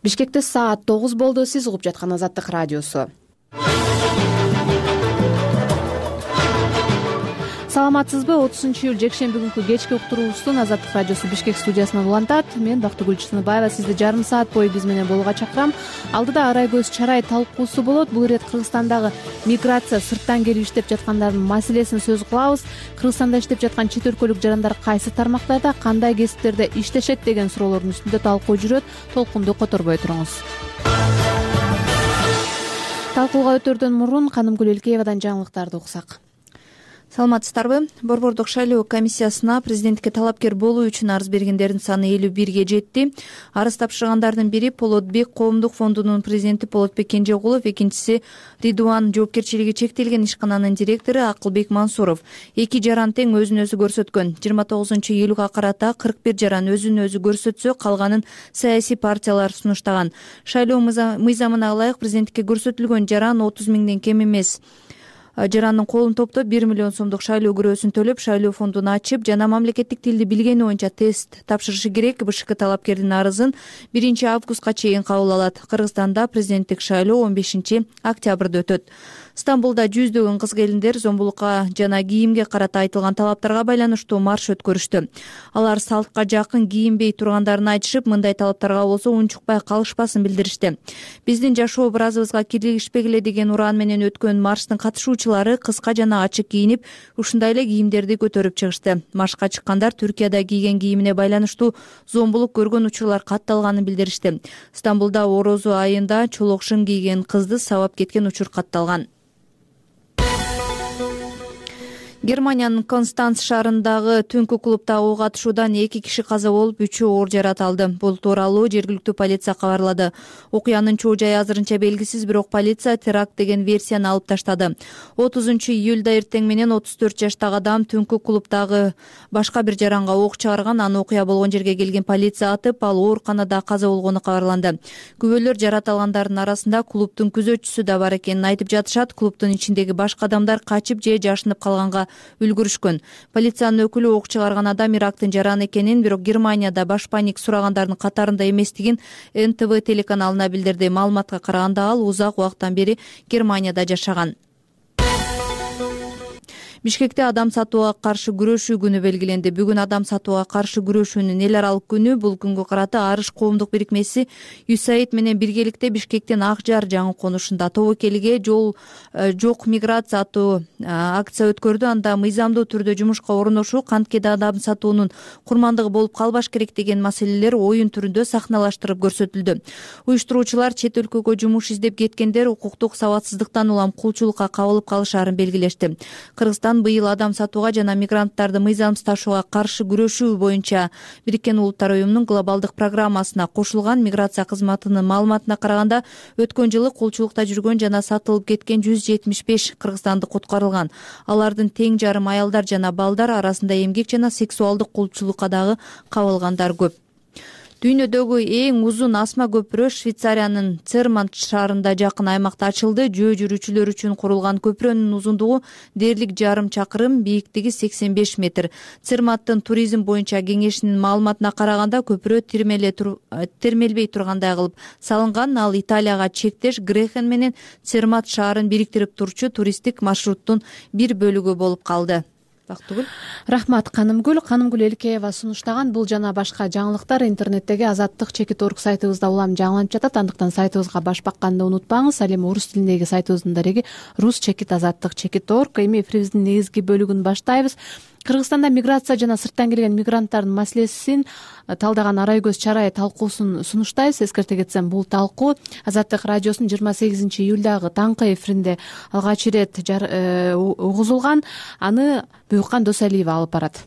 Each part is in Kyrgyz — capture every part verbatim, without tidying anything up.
Бишкекте саат тогуз болду. Сиз угуп жаткан Азаттык радиосу. Саламатсызбы? отузунчу июль жекшемби күнкү кечки уктуруубуздун Азаттык радиосу Бишкек студиясынан улантат. Мен Бактыгүл Чыныбаева сизди жарым саат бою биз менен болууга чакырам. Алдыда арай көз чарай талкуусу болот. Бул ирет Кыргызстандагы миграция, сырттан келип иштеп жаткандардын маселесин сөз кылабыз. Кыргызстанда иштеп жаткан чет өлкөлүк жарандар кайсы тармактарда, кандай кесиптерде иштешет деген суроолордун үстүндө талкуу жүрөт. Толкунду которбой туруңуз. Талкууга өтөрдөн мурун Канымгүл Элкеевадан жаңылыктарды уксак. Саламатсыздарбы? Борбордук шайлоо комиссиясына президенттикке талапкер болуу үчүн арыз бергендердин саны элүү бирге жетти. Арыз тапшыргандардын бири Полотбек коомдук фондунун президенти Полотбек Кенжегулов, экинчиси Ридуан жоопкерчилиги чектелген ишкананын директору Акылбек Мансуров. Эки жаран тең өзүн өзү көрсөткөн. жыйырма тогузунчу июлга карата кырк бир жаран өзүн өзү көрсөтсө, калганын саясий партиялар сунуштаган. Шайлоо мыйзамына ылайык президенттикке көрсөтүлгөн жаран отуз миңден кем эмес. Жарандын колун топтоп бир миллион сомдук шайлоо күрөөсүн төлөп, шайлоо фондун ачып жана мамлекеттик тилди билгени боюнча тест тапшырышы керек. БШК талапкердин арызын биринчи августка чейин кабыл алат. Кыргызстанда президенттик шайлоо он бешинчи октябрда өтөт. Стамбулда жүздөгөн кыз-келиндер зомбулукка жана кийимге карата айтылган талаптарга байланыштуу марш өткөрүштү. Алар салтка жакын кийинбей тургандарын айтышып, мындай талаптарга болсо унчукпай калышпасын билдиришти. Биздин жашоо образыбызга кийлигишпегиле деген уран менен өткөн марштын катышуучулары кыска жана ачык кийинип, ушундай эле кийимдерди көтөрүп чыгышты. Маршка чыккандар Түркияда кийген кийимине байланыштуу зомбулук көргөн учурлар катталганын билдиришти. Стамбулда орозо айында чолок шым кийген кызды сабап кеткен учур катталган. Германиянын Констанц шаарындагы түнкү клубда ок атышуудан эки киши каза болуп, үчөө оор жарат алды. Бул тууралуу жергиликтүү полиция кабарлады. Окуянын чоо жайы азырынча белгисиз, бирок полиция теракт деген версияны алып таштады. отузунчу июлда эртең менен отуз төрт жаштагы адам түнкү клубдагы башка бир жаранга ок чыгарган. Аны окуя болгон жерге келген полиция атып, ал ооруканада каза болгону кабарланды. Күбөлөр жарат алгандардын арасында клубдун күзөтчүсү да бар экенин айтып жатышат. Клубдун ичиндеги башка адамдар качып же жашынып калганга үлгүрүшкөн. Полициянын өкүлү ок чыгарган адам Ирактын жараны экенин, бирок Германияда баш паник сурагандардын катарында эместигин эн тэ вэ телеканалына билдирди. Маалыматка караганда ал узак убакыттан бери Германияда жашаган. Бишкекте адам сатууга каршы күрөшүү күнү белгиленди. Бүгүн адам сатууга каршы күрөшүүнүн эл аралык күнү. Бул күнгө карата Арыш коомдук бирикмеси ЮСАИД менен биргеликте Бишкектин Ак Жар жаңы конушунда тобокелиге жол жок миграция аттуу акция өткөрдү. Анда мыйзамдуу түрдө жумушка орношуу, канткеде адам сатуунун курмандыгы болуп калбаш керек деген маселелер оюн түрүндө сахналаштырып көрсөтүлдү. Уюштуруучулар чет өлкөгө жумуш издеп кеткендер укуктук сабатсыздыктан улам кулчулукка кабылып калышаарын белгилешти. Кыргызстан быйыл адам сатууга жана мигранттарды мыйзамсыз ташууга каршы күрөшүү боюнча Бириккен Улуттар уюмунун глобалдык программасына кошулган. Миграция кызматынын маалыматына караганда, өткөн жылы кулчулукта жүргөн жана сатылып кеткен жүз жетимиш беш кыргызстандык куткарылган. Алардын тең жарым аялдар жана балдар, арасында эмгек жана сексуалдык кулчулукка дагы кабылгандар көп. Дүйнөдөгү эң узун асма көпүрө Швейцариянын Цермат шаарында жакын аймакта ачылды. Жөө жүрүүчүлөр үчүн курулган көпүрөнүн узундугу дээрлик жарым чакырым, бийиктиги сексен беш метр. Церматтын туризм боюнча кеңешинин маалыматына караганда, көпүрө термелбей тургандай кылып салынган. Ал Италияга чектеш Грехен менен Цермат шаарын бириктирип турчу туристтик маршруттун бир бөлүгү болуп калды. Рахмат Канымгүл. Канымгүл Элкеева сунуштаган бул жана башка жаңылыктар интернеттеги азаттык чекит точка орг сайтыбызда улам жаңыланып жатат. Андыктан сайтыбызга баш бакканды унутпаңыз. Ал эми орус тилиндеги сайтыбыздын дареги рус чекит азаттык чекит точка орг. Эми эфирибиздин негизги бөлүгүн баштайбыз. Кыргызстанда миграция жана сырттан келген мигранттардын маселесин талдаган арай көз чарай талкуусун сунуштайбыз. Эскерте кетсем, бул талкуу Азаттык радиосунун жыйырма сегизинчи июлдагы таңкы эфиринде алгач ирет угузулган. Аны Буюккан Досалиева алып барат.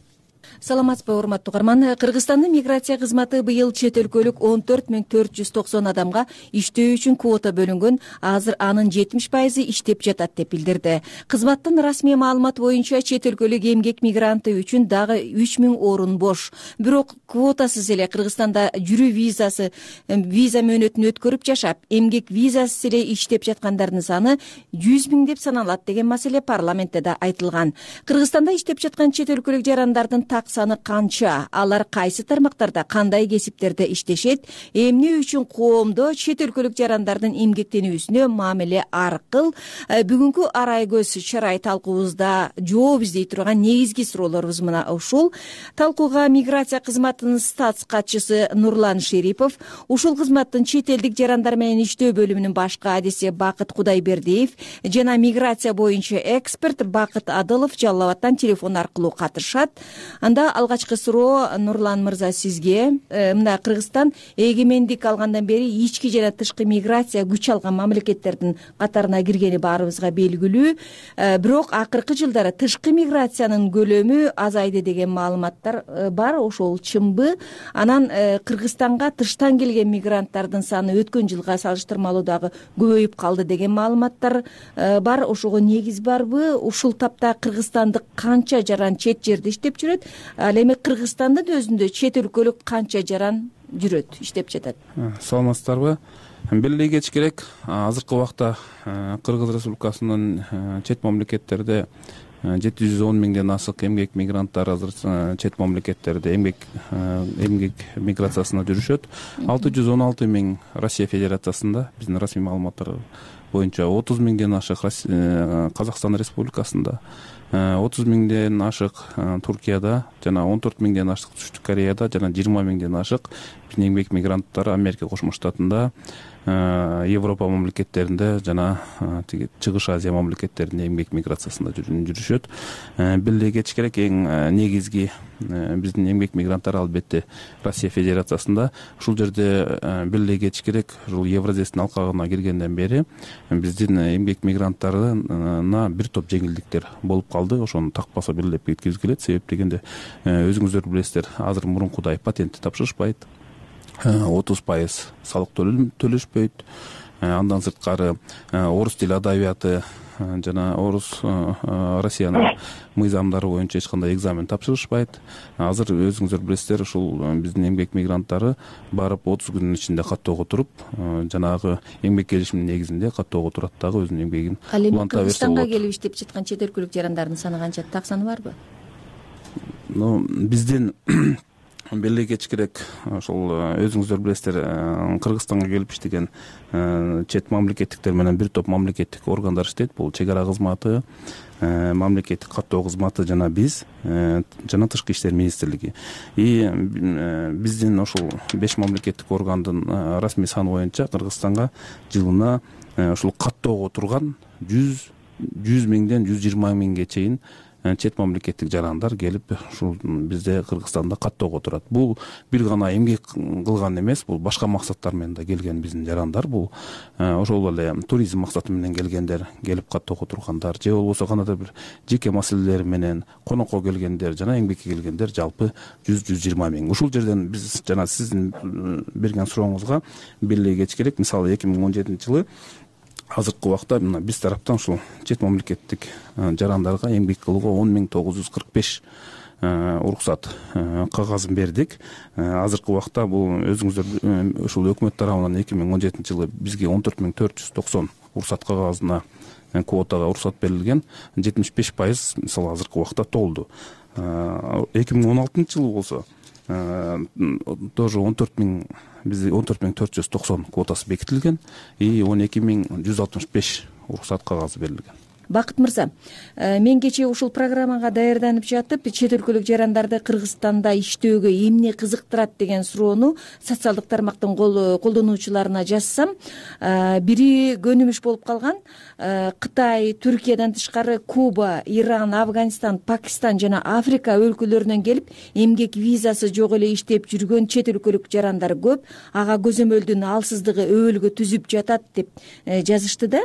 Саламатсызбы, урматтуу угарман. Кыргызстандын миграция кызматы быйыл чет өлкөлүк он төрт миң төрт жүз токсон адамга иштөө үчүн квота бөлүнгөн. Азыр анын жетимиш пайызы иштеп жатат деп билдирди. Кызматтын расмий маалыматы боюнча чет өлкөлүк эмгек мигранты үчүн дагы үч миң орун бош. Бирок квотасыз эле Кыргызстанда жүрүү визасы виза мөөнөтүн өткөрүп жашап, эмгек визасыз эле иштеп жаткандардын саны жүз миң деп саналат деген маселе парламентте да айтылган. Кыргызстанда иштеп жаткан чет өлкөлүк жарандардын так саны канча, алар кайсы тармактарда кандай кесиптерде иштешет, эмне үчүн коомдо чет өлкөлүк жарандардын эмгектенүүсүнө мамиле аркыл? Бүгүнкү арай көз чарай талкуубузда жооп издей турган негизги суроолорубуз мына ушул. Талкууга миграция кызматынын статс катчысы Нурлан Шерипов, ушул кызматтын чет элдик жарандар менен иштөө бөлүмүнүн башкы адиси Бакыт Кудайбердиев жана миграция боюнча эксперт Бакыт Адылов Жалал Абадтан телефон аркылуу катышат. Анда алгачкы суроо Нурлан мырза сизге. Мына Кыргызстан эгемендик алгандан бери ички жана тышкы миграция күч алган мамлекеттердин катарына киргени баарыбызга белгилүү. Бирок акыркы жылдары тышкы миграциянын көлөмү азайды деген маалыматтар бар. Ошол чынбы? Анан Кыргызстанга тыштан келген мигранттардын саны өткөн жылга салыштырмалуу дагы көбөйүп калды деген маалыматтар бар. Ошого негиз барбы? Ушул тапта кыргызстандык канча жаран чет жерде иштеп жүрөт? Ал эми Кыргызстандын өзүндө чет өлкөлүк канча жаран жүрөт, иштеп жатат? Саламатсыздарбы? Белгилей кетиш керек, азыркы убакта Кыргыз Республикасынын чет мамлекеттерде жети жүз он миңден ашык эмгек мигранттар азыр чет мамлекеттерде эмгек эмгек миграциясына жүрүшөт. алты жүз он алты миң Россия Федерациясында, биздин расмий маалыматтар боюнча отуз миңден ашык Казакстан Республикасында, отуз миңден ашык Туркияда жана он төрт миңден ашык Түштүк Кореяда жана жыйырма миңден ашык биздин эмгек мигранттар Америка Кошмо Штатында, Европа мамлекеттеринде жана тиги Чыгыш Азия мамлекеттеринде эмгек миграциясында жүрүшөт. Белгилей кетиш керек, эң негизги биздин эмгек мигранттар албетте Россия Федерациясында. Ушул жерде белгилей кетиш керек, ушул Евразиядын алкагына киргенден бери биздин эмгек мигранттарына бир топ жеңилдиктер болуп калды. Ошону так баса белгилеп кеткибиз келет. Себеп дегенде өзүңүздөр билесиздер, азыр мурункудай патентти тапшырышпайт, отуз пайыз салык төлөшпөйт. Андан сырткары орус тили адабияты жана орус Россиянын мыйзамдары боюнча эч кандай экзамен тапшырышпайт. Азыр өзүңүздөр билесиздер, ушул биздин эмгек мигранттары барып отуз күнүн ичинде каттоого туруп, жанагы эмгек келишиминин негизинде каттоого турат дагы өзүнүн эмгегин уланта берсе болот. Кыргызстанга келип иштеп жаткан чет өлкөлүк жарандардын саны канча? Так саны барбы? Ну, биздин белгилей кетиш керек, ошол өзүңүздөр билесиздер, Кыргызстанга келип иштеген чет мамлекеттиктер менен бир топ мамлекеттик органдар иштейт. Бул чек ара кызматы, мамлекеттик каттоо кызматы жана биз жана Тышкы иштер министрлиги. И биздин ошол беш мамлекеттик органдын расмий саны боюнча Кыргызстанга жылына ушул каттоого турган жүз миңден жүз жыйырма миңге чейин чет мамлекеттик жарандар келип ушул бизде Кыргызстанда каттоого турат. Бул бир гана эмгек кылган эмес, бул башка максаттар менен да келген биздин жарандар. Бул ошол эле туризм максаты менен келгендер, келип каттоого тургандар, же болбосо кандайдыр бир жеке маселелери менен конокко келгендер жана эмгекке келгендер жалпы жүз жүз жыйырма миң. Ушул жерден биз жана сиздин берген сурооңузга белгилей кетиш керек. Мисалы эки миң он жетинчи жылы азыркы убакта мына биз тараптан ушул чет мамлекеттик жарандарга эмгек кылууга он миң тогуз жүз кырк беш уруксат кагазын бердик. Азыркы убакта бул өзүңүздөр ушул өкмөт тарабынан эки миң он жетинчи жылы бизге он төрт миң төрт жүз токсон уруксат кагазына, квотага уруксат берилген. жетимиш беш пайыз мисалы азыркы убакта толду. эки миң он алтынчы жылы болсо тоже он төрт миң бизде он төрт миң төрт жүз токсон квотасы бекитилген и он эки миң жүз алтымыш беш уруксат кагазы берилген. Бакыт мырза, мен кечээ ушул программага даярданып жатып, чет өлкөлүк жарандарды Кыргызстанда иштөөгө эмне кызыктырат деген суроону социалдык тармактын колдонуучуларына жазсам, бири көнүмүш болуп калган. Кытай, Түркиядан тышкары Куба, Иран, Афганистан, Пакистан жана Африка өлкөлөрүнөн келип эмгек визасы жок эле иштеп жүргөн чет өлкөлүк жарандар көп. Ага көзөмөлдүн алсыздыгы өбөлгө түзүп жатат деп жазышты да.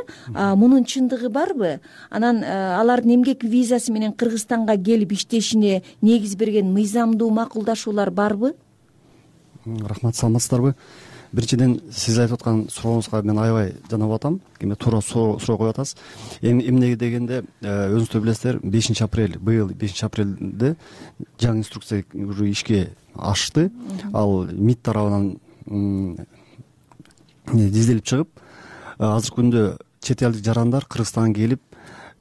Мунун чындыгы барбы? Анан алардын эмгек визасы менен Кыргызстанга келип иштешине негиз берген мыйзамдуу макулдашуулар барбы? Рахмат, саламатсыздарбы? Биринчиден, сиз айтып аткан сурооңузга мен аябай жанап атам. Эми туура суроо коюп атасыз. Эмне дегенде, өзүңүздөр билесиздер, бешинчи апрель, быйыл бешинчи апрелде жаңы инструкция уже ишке ашты. Ал МИД тарабынан изделип чыгып, азыркы күндө чет элдик жарандар Кыргызстанга келип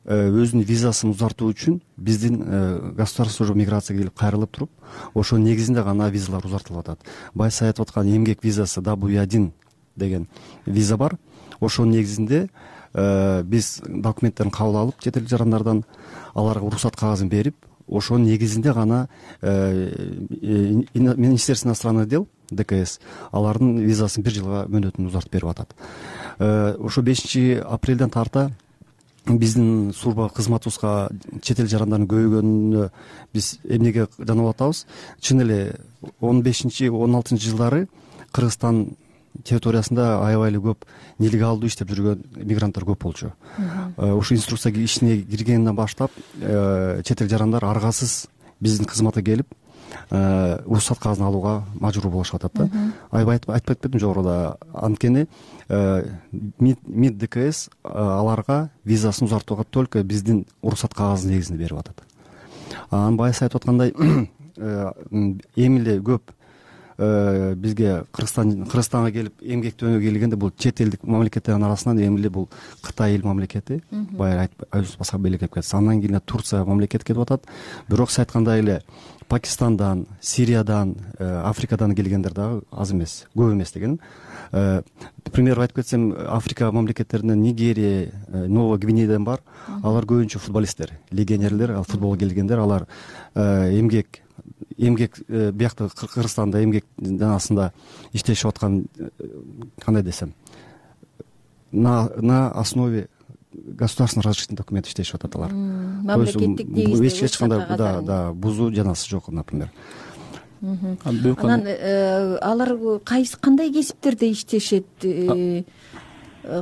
өзүнүн визасын узартуу үчүн биздин государственный миграцияга келип кайрылып туруп ошонун негизинде гана визалар узартылып атат. Байсы айтып аткан эмгек визасы дабл ю один деген виза бар. Ошонун негизинде биз документтерин кабыл алып чет эл жарандардан аларга уруксат кагазын берип, ошонун негизинде гана Министерство иностранных дел Д К С алардын визасын бир жылга мөөнөтүн узартып берип атат. Ошо бешинчи апрелден тарта биздин служба кызматыбызга чет эл жарандарынын көбөйгөнүнө биз эмнеге жанап атабыз? Чын эле он бешинчи он алтынчы жылдары Кыргызстан территориясында аябай эле көп нелегалдуу иштеп жүргөн мигранттар көп болчу. Ошо инструкция ишине киргенден баштап чет эл жарандар аргасыз биздин кызматка келип уруксат кагазын алууга мажбур болушуп атат да. Аябай айтып кетпедимби жогоруда? Анткени МИД Д К С аларга визасын узартууга только биздин уруксат кагазын негизинде берип атат. Анан байсы айтып аткандай эми эле көп бизге Кыргызстан Кыргызстанга келип эмгектөөгө келгенде бул чет элдик мамлекеттердин арасынан эми эле бул Кытай эл мамлекети, баягы айтып башка мамлекет кетти. Андан кийин Турция мамлекети кетип атат. Бирок сиз айткандай эле Пакистандан, Сириядан, Африкадан келгендер дагы аз эмес, көп эмес деген. Пример айтып кетсем, Африка мамлекеттеринен Нигерия, Новая Гвинеядан бар. Алар көбүнчө футболисттер, легионерлер, ал футболго келгендер, алар эмгек эмгек биякта Кыргызстанда эмгек жанасында иштешип аткан, кандай десем, на на основе государственного разрешительного документа иштешип атат алар. Мамлекеттик негизде эч кандай да да бузуу жанасы жок, например. Анан алар кайсы кандай кесиптерде иштешет?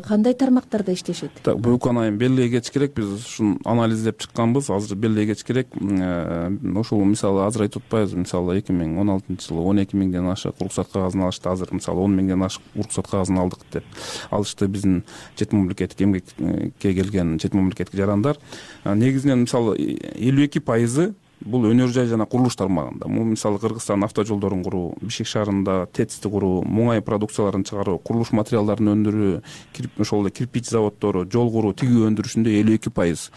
Кандай тармактарда иштешет? Так, буюкан айым белгилегеч керек. Биз ушун анализдеп чыкканбыз. Азыр белгилегеч керек. Ошол мисалы азыр айтып атпайбызбы? Мисалы эки миң он алтынчы жылы он эки миңден ашык уруксат кагазын алышты. Азыр мисалы он миңден ашык уруксат кагазын алдык деп алышты биздин чет мамлекеттик эмгекке келген чет мамлекеттик жарандар. Негизинен мисалы элүү эки пайызы бул өнөр жай жана курулуш тармагында. Бул мисалы Кыргызстан автожолдорун куруу, Бишкек шаарында ТЭЦти куруу, муңай продукцияларын чыгаруу, курулуш материалдарын өндүрүү, ошол эле кирпич заводдору, жол куруу, тигүү өндүрүшүндө элүү эки пайыз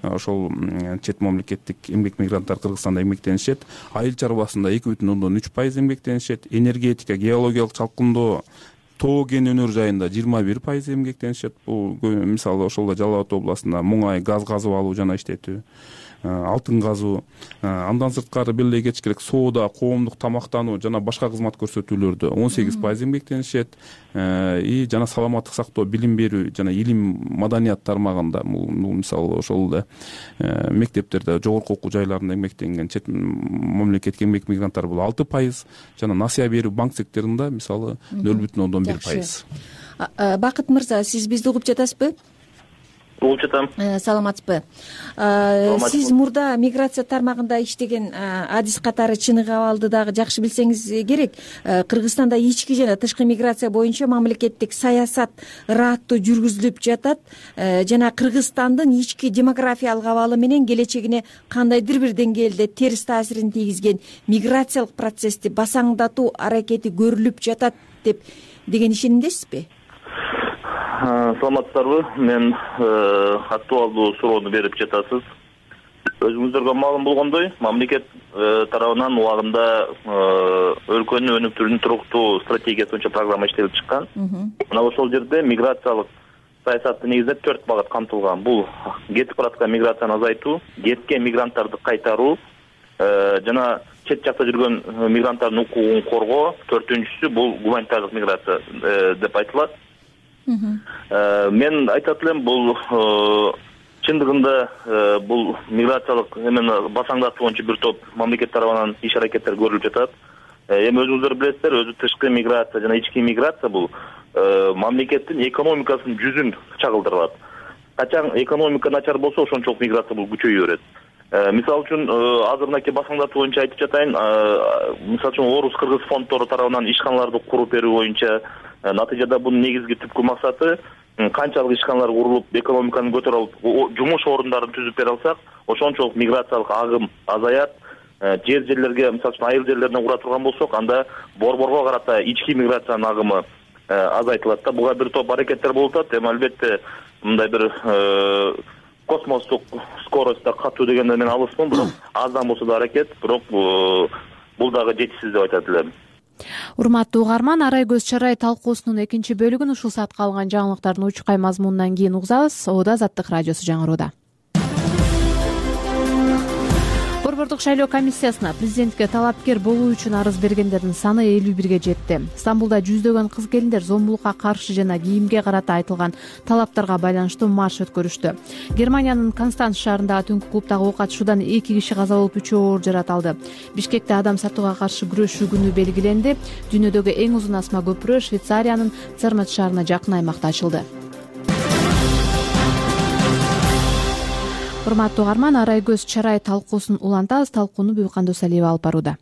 ошол чет мамлекеттик эмгек мигранттар Кыргызстанда эмгектенишет. Айыл чарбасында эки бүтүн ондон үч пайыз эмгектенишет. Энергетика, геологиялык чалкындоо, тоо кен өнөр жайында жыйырма бир пайыз эмгектенишет. Бул мисалы ошол Жалал Абад областында муңай, газ казып алуу жана иштетүү, алтын казуу. Андан сырткары белгилегеч керек соода, коомдук тамактануу жана башка кызмат көрсөтүүлөрдө он сегиз пайыз эмгектенишет. И жана саламаттык сактоо, билим берүү жана илим, маданият тармагында бул мисалы ошол эле мектептерде, жогорку окуу жайларында эмгектенген чет мамлекеттик эмгек мигранттар бул алты пайыз, жана насыя берүү банк секторунда мисалы нөл бүтүн ондон бир пайыз. Бакыт мырза, сиз бизди угуп жатасызбы? Угуп жатам. Саламатсызбы? Сиз мурда миграция тармагында иштеген адис катары Чыныгы абалды дагы жакшы билсеңиз керек. Кыргызстанда ички жана тышкы миграция боюнча мамлекеттик саясат ыраттуу жүргүзүлүп жатат жана Кыргызстандын ички демографиялык абалы менен келечегине кандайдыр бир деңгээлде терс таасирин тийгизген миграциялык процессти басаңдатуу аракети көрүлүп жатат деп деген ишенимдесизби? Саламатсыздарбы? Мен актуалдуу суроону берип жатасыз. Өзүңүздөргө маалым болгондой, мамлекет тарабынан убагында өлкөнүн өнүктүрүүнүн туруктуу стратегиясы боюнча программа иштелип чыккан. Мына ошол жерде миграциялык саясатты негиздеп төрт багыт камтылган. Бул кетип бараткан миграцияны азайтуу, кеткен мигранттарды кайтаруу жана чет жакта жүргөн мигранттардын укугун коргоо. Төртүнчүсү бул гуманитардык миграция деп айтылат. Мен айтат элем, бул чындыгында бул миграциялык эмени басаңдатуу боюнча бир топ мамлекет тарабынан иш аракеттер көрүлүп жатат. Эми өзүңүздөр билесиздер, өзү тышкы миграция жана ички миграция бул мамлекеттин экономикасынын жүзүн чагылдырат. Качан экономика начар болсо, ошончолук миграция бул күчөйө берет. Мисалы үчүн азыр мынакей басаңдатуу боюнча айтып жатайын. Мисалы үчүн орус-кыргыз фонддору тарабынан ишканаларды куруп берүү боюнча, натыйжада бунун негизги түпкү максаты канчалык ишканалар курулуп, экономиканы көтөрүп алып, жумуш орундарын түзүп бере алсак, ошончолук миграциялык агым азаят. Жер жерлерге, мисалы үчүн айыл жерлерине кура турган болсок, анда борборго карата ички миграциянын агымы азайтылат да. Буга бир топ аракеттер болуп атат. Эми албетте мындай бир космостук скоростьта катуу дегенден мен алысмын, бирок аздан болсо да аракет, бирок бул дагы жетишсиз деп айтат элем. Урматтуу угарман, Арай көз чарай талкуусунун экинчи бөлүгүн ушул саатка алган жаңылыктардын учкай мазмунунан кийин угузабыз. Ода Азаттык радиосу жаңырууда. Борбордук шайлоо комиссиясына президентке талапкер болуу үчүн арыз бергендердин саны элүү бирге жетти. Стамбулда жүздөгөн кыз келиндер зомбулукка каршы жана кийимге карата айтылган талаптарга байланыштуу марш өткөрүштү. Германиянын Констанц шаарындагы түнкү клубдагы ок атышуудан эки киши каза болуп, үчөө оор жараталды. Бишкекте адам сатууга каршы күрөшүү күнү белгиленди. Дүйнөдөгү эң узун асма көпүрө Швейцариянын Цермат шаарына жакын аймакта ачылды. Урматтуу угарман, Арай көз чарай талкуусун улантабыз. Талкууну Бүкандос Алиева алып барууда.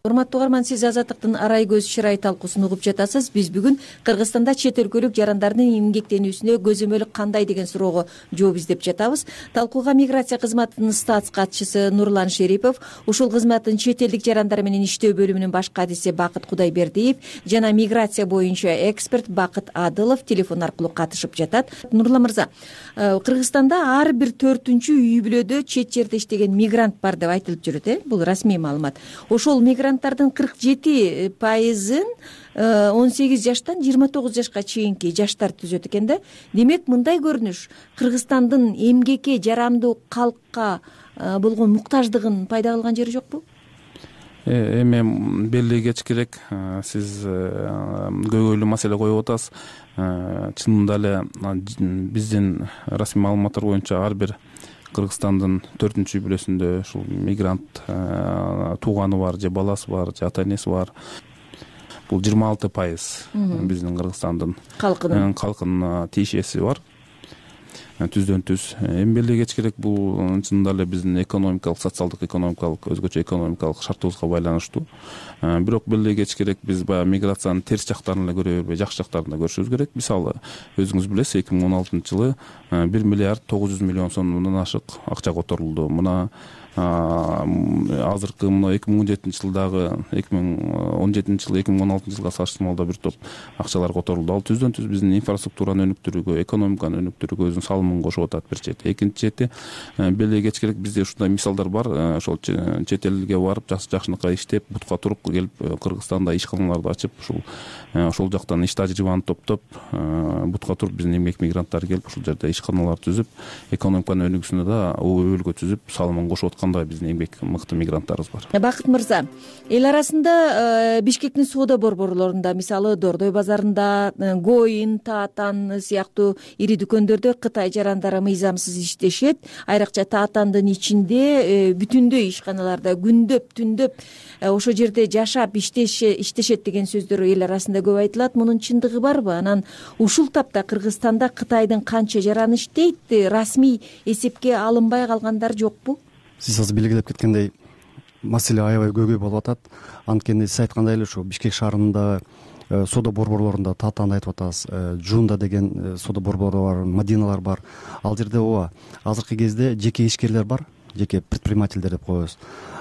Урматтуу угарман, сиз Азаттыктын Арай көз чарай талкуусун угуп жатасыз. Биз бүгүн Кыргызстанда чет өлкөлүк жарандардын эмгектенүүсүнө көзөмөл кандай деген суроого жооп издеп жатабыз. Талкууга миграция кызматынын статс катчысы Нурлан Шерипов, ушул кызматтын чет элдик жарандар менен иштөө бөлүмүнүн баш кадиси Бакыт Кудайбердиев жана миграция боюнча эксперт Бакыт Адылов телефон аркылуу катышып жатат. Нурлан мырза, Кыргызстанда ар бир төртүнчү үй бүлөдө чет жерде иштеген мигрант бар деп айтылып жүрөт, э? Бул расмий маалымат. Ошол мигрант кырк жети пайызын он сегиз жаштан жыйырма тогуз жашка чейинки жаштар түзөт экен да. Демек, мындай көрүнүш Кыргызстандын эмгекке жарамдуу калкка болгон муктаждыгын пайда кылган жери жокпу? Эми белгилей кетиш керек, сиз көйгөйлүү маселе коюп атасыз. Чынында эле биздин расмий маалыматтар боюнча ар бир Кыргызстандын төртүнчү үй бүлөсүндө ушул мигрант тууганы бар, же баласы бар, же ата энеси бар. Бул жыйырма алты пайыз биздин Кыргызстандын калкынын калкынын тиешеси бар. Түздөн түз. Эми белгилей кетиш керек, бул чынында эле биздин экономикалык, социалдык экономикалык, өзгөчө экономикалык шартыбызга байланыштуу. Бирок белгилей кетиш керек, биз баягы миграциянын терс жактарын эле көрө бербей, жакшы жактарын да көрүшүбүз керек. Мисалы, өзүңүз билесиз, эки миң он алтынчы жылы бир миллиард тогуз жүз миллион сомдон ашык акча которулду. Мына азыркы мына эки миң он жетинчи жылдагы эки миң он жетинчи жыл эки миң он алтынчы жылга салыштырмалуу бир топ акчалар которулду. Ал түздөн түз биздин инфраструктураны өнүктүрүүгө, экономиканы өнүктүрүүгө өзүнүн салымын кошуп атат бир чети. Экинчи чети, белгилей кетиш керек, бизде ушундай мисалдар бар. Ошол чет элге барып, жакшынакай иштеп, бутка туруп келип, Кыргызстанда ишканаларды ачып, ушул ошол жактан иш тажрыйбаны топтоп, бутка туруп биздин эмгек мигранттар келип, ушул жерде ишканалар түзүп, экономиканын өнүгүүсүнө да өбөлгө түзүп, салымын кошуп аткандай биздин эмгек мыкты мигранттарыбыз бар. Бакыт мырза, эл арасында Бишкектин соода борборлорунда, мисалы Дордой базарында, Гоин, Таатан сыяктуу ири дүкөндөрдө Кытай жарандары мыйзамсыз иштешет. Айрыкча Таатандын ичинде бүтүндөй ишканаларда күндөп, түндөп ошо жерде жашап иштешет деген сөздөр эл арасында көп айтылат. Мунун чындыгы барбы? Анан ушул тапта Кыргызстанда Кытайдын канча жараны иштейт? Расмий эсепке алынбай калгандар жокпу? Сиз азыр белгилеп кеткендей, маселе аябай көйгөй болуп атат. Анткени сиз айткандай эле ушу Бишкек шаарында соода борборлорунда Таатанды айтып атасыз, Жунда деген соода борбору бар, Мадиналар бар. Ал жерде ооба азыркы кезде жеке ишкерлер бар, жеке предпринимательдер деп коебуз.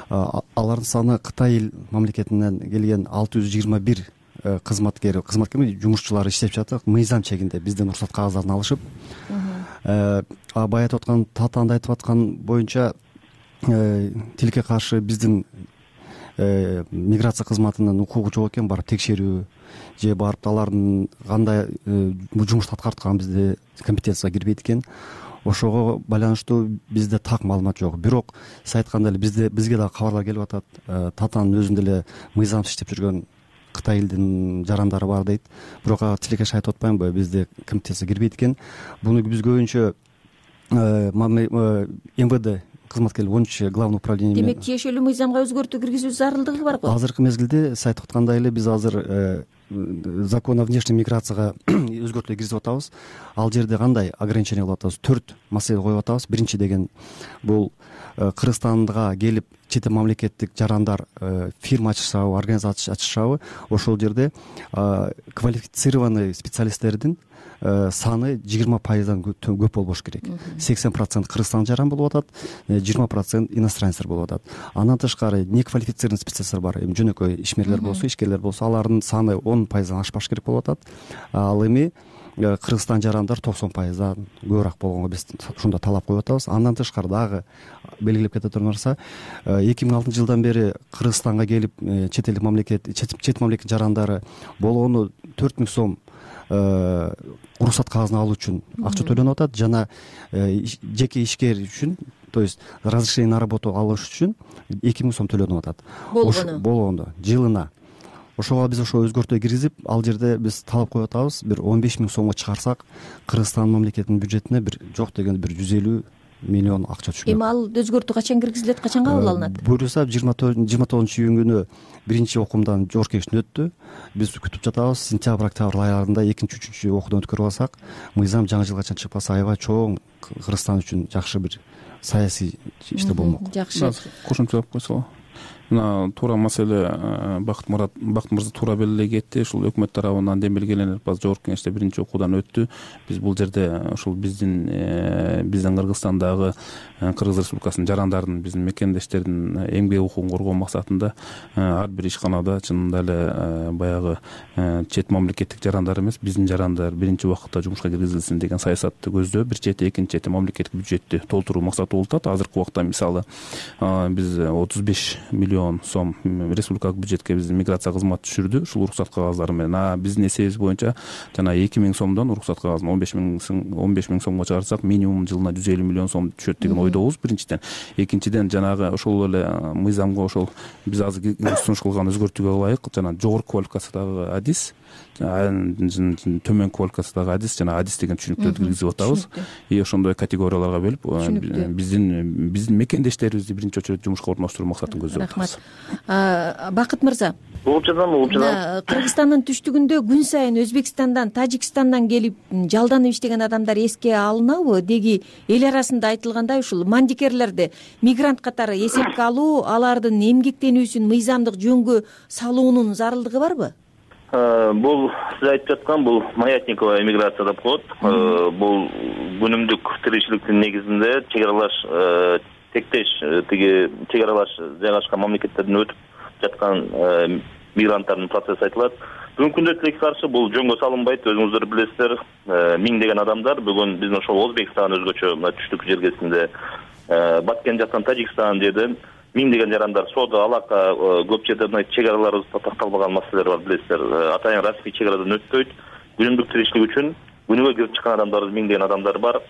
Алардын саны Кытай мамлекетинен келген алты жүз жыйырма бир кызматкер, кызматкер жумушчулар иштеп жатат, мыйзам чегинде бизден уруксат кагаздарын алышып. Бая айтып аткан Таатанды айтып аткан боюнча тилекке каршы биздин миграция кызматынын укугу жок экен, барып текшерүү же барып алардын кандай жумушту аткарткан бизде компетенцияга кирбейт экен. Ошого байланыштуу бизде так маалымат жок. Бирок сиз айткандай эле бизде бизге дагы кабарлар келип атат. Таатанын өзүндө эле мыйзамсыз иштеп жүргөн Кытай элдин жарандары бар дейт. Бирок тилекке айтып атпаймынбы, бизде компетенция кирбейт экен. Буну биз көбүнчө эм вэ дэ кызматкерлер онунчу главный управление. Демек, тиешелүү мыйзамга өзгөртүү киргизүү зарылдыгы бар го. Азыркы мезгилде сиз айтып аткандай эле биз азыр закон о внешней миграцияга өзгөртүүлөр киргизип атабыз. Ал жерде кандай ограничение кылып атабыз? Төрт маселе коюп атабыз. Биринчи деген бул Кыргызстанга келип чет эл мамлекеттик жарандар фирма ачышабы, организация ачышабы, ошол жерде квалифицированный специалисттердин саны жыйырма пайыздан көп болбош керек. сексен процент Кыргызстан жаран болуп атат, жыйырма процент иностранецтер болуп атат. Андан тышкары неквалифицированный специалисттер бар. Эми жөнөкөй ишмерлер болсо, ишкерлер болсо, алардын саны он пайыздан ашпаш керек болуп атат. Ал эми кыргызстан жарандар токсон пайыздан көбүрөөк болгонго биз ушундай талап коюп атабыз. Андан тышкары дагы белгилеп кете турган нарса, эки миң алтынчы жылдан бери Кыргызстанга келип чет элдик мамлекет чет мамлекет жарандары болгону төрт миң сом уруксат кагазын алуу үчүн акча төлөнүп атат. Жана жеке ишкер үчүн, то есть разрешение на работу алыш үчүн эки миң сом төлөнүп атат болгону болгондо жылына. Ошого биз ошо өзгөртүү киргизип, ал жерде биз талап коюп атабыз, бир он беш миң сомго чыгарсак, Кыргызстан мамлекетинин бюджетине бир жок дегенде бир жүз элүү миллион акча түшкөн. Эми ал өзгөртүү качан киргизилет, качан кабыл алынат? Буюрса жыйырма тогузунчу июнь күнү биринчи окуумдан жогорку кеңештен өттү. Биз күтүп жатабыз. Сентябрь, октябрь айларында экинчи, үчүнчү окуудан өткөрүп алсак, мыйзам жаңы жылга чейин чыкпаса, аябай чоң Кыргызстан үчүн жакшы бир саясий иштер болмок. Жакшы. Кошумчалап койсо, мына туура маселе Бакыт Мурат Бакыт мырза туура белгилей кетти. Ушул өкмөт тарабынан демилгеленип, азыр жогорку кеңеште биринчи окуудан өттү. Биз бул жерде ушул биздин биздин Кыргызстандагы Кыргыз Республикасынын жарандардын, биздин мекендештердин эмгек укугун коргоо максатында ар бир ишканада чынында эле баягы чет мамлекеттик жарандар эмес, биздин жарандар биринчи убакытта жумушка киргизилсин деген саясатты көздөө. Бир чети, экинчи чети мамлекеттик бюджетти толтуруу максаты болуп атат. Азыркы убакта мисалы биз отуз беш миллион сом республикалык бюджетке биздин миграция кызматы түшүрдү ушул уруксат кагаздары менен. А биздин эсебибиз боюнча жана эки миң сомдон уруксат кагазын он беш миң сомго чыгарсак, минимум жылына жүз элүү миллион сом түшөт деген ойдобуз биринчиден. Экинчиден жанагы ошол эле мыйзамга ошол биз азыр сунуш кылган өзгөртүүгө ылайык жана жогорку квалификациядагы адис, төмөн квалификациядагы адис жана адис деген түшүнүктөрдү киргизип атабыз. И ошондой категорияларга бөлүп биздин биздин мекендештерибизди биринчи очередь жумушка орноштуруу максатын көздөп атабыз. Рахмат. Бакыт мырза, угуп жатам, угуп жатам. Кыргызстандын түштүгүндө күн сайын Өзбекстандан, Тажикстандан келип жалданып иштеген адамдар эске алынабы? Деги эл арасында айтылгандай ушул мандикерлерди мигрант катары эсепке алуу, алардын эмгектенүүсүн мыйзамдык жөнгө салуунун зарылдыгы барбы? Бул сиз айтып жаткан бул маятниковая эмиграция деп коет. Бул күнүмдүк тиричиликтин негизинде чек аралаш тектеш тиги чек аралаш жайгашкан мамлекеттерден өтүп жаткан мигранттардын процесси айтылат. Бүгүнкү күндө тилекке каршы бул жөнгө салынбайт. Өзүңүздөр билесиздер, миңдеген адамдар бүгүн биздин ошол Өзбекстан өзгөчө мына түштүк жергесинде, Баткен жактан Тажикстан жерден миңдеген жарандар соода алака көп жерде мына чек араларыбызда такталбаган маселелер бар, билесиздер. Атайын расмий чек арадан өтпөйт. Күнүмдүк тиричилик үчүн күнүгө кирип чыккан адамдар миңдеген адамдар бар.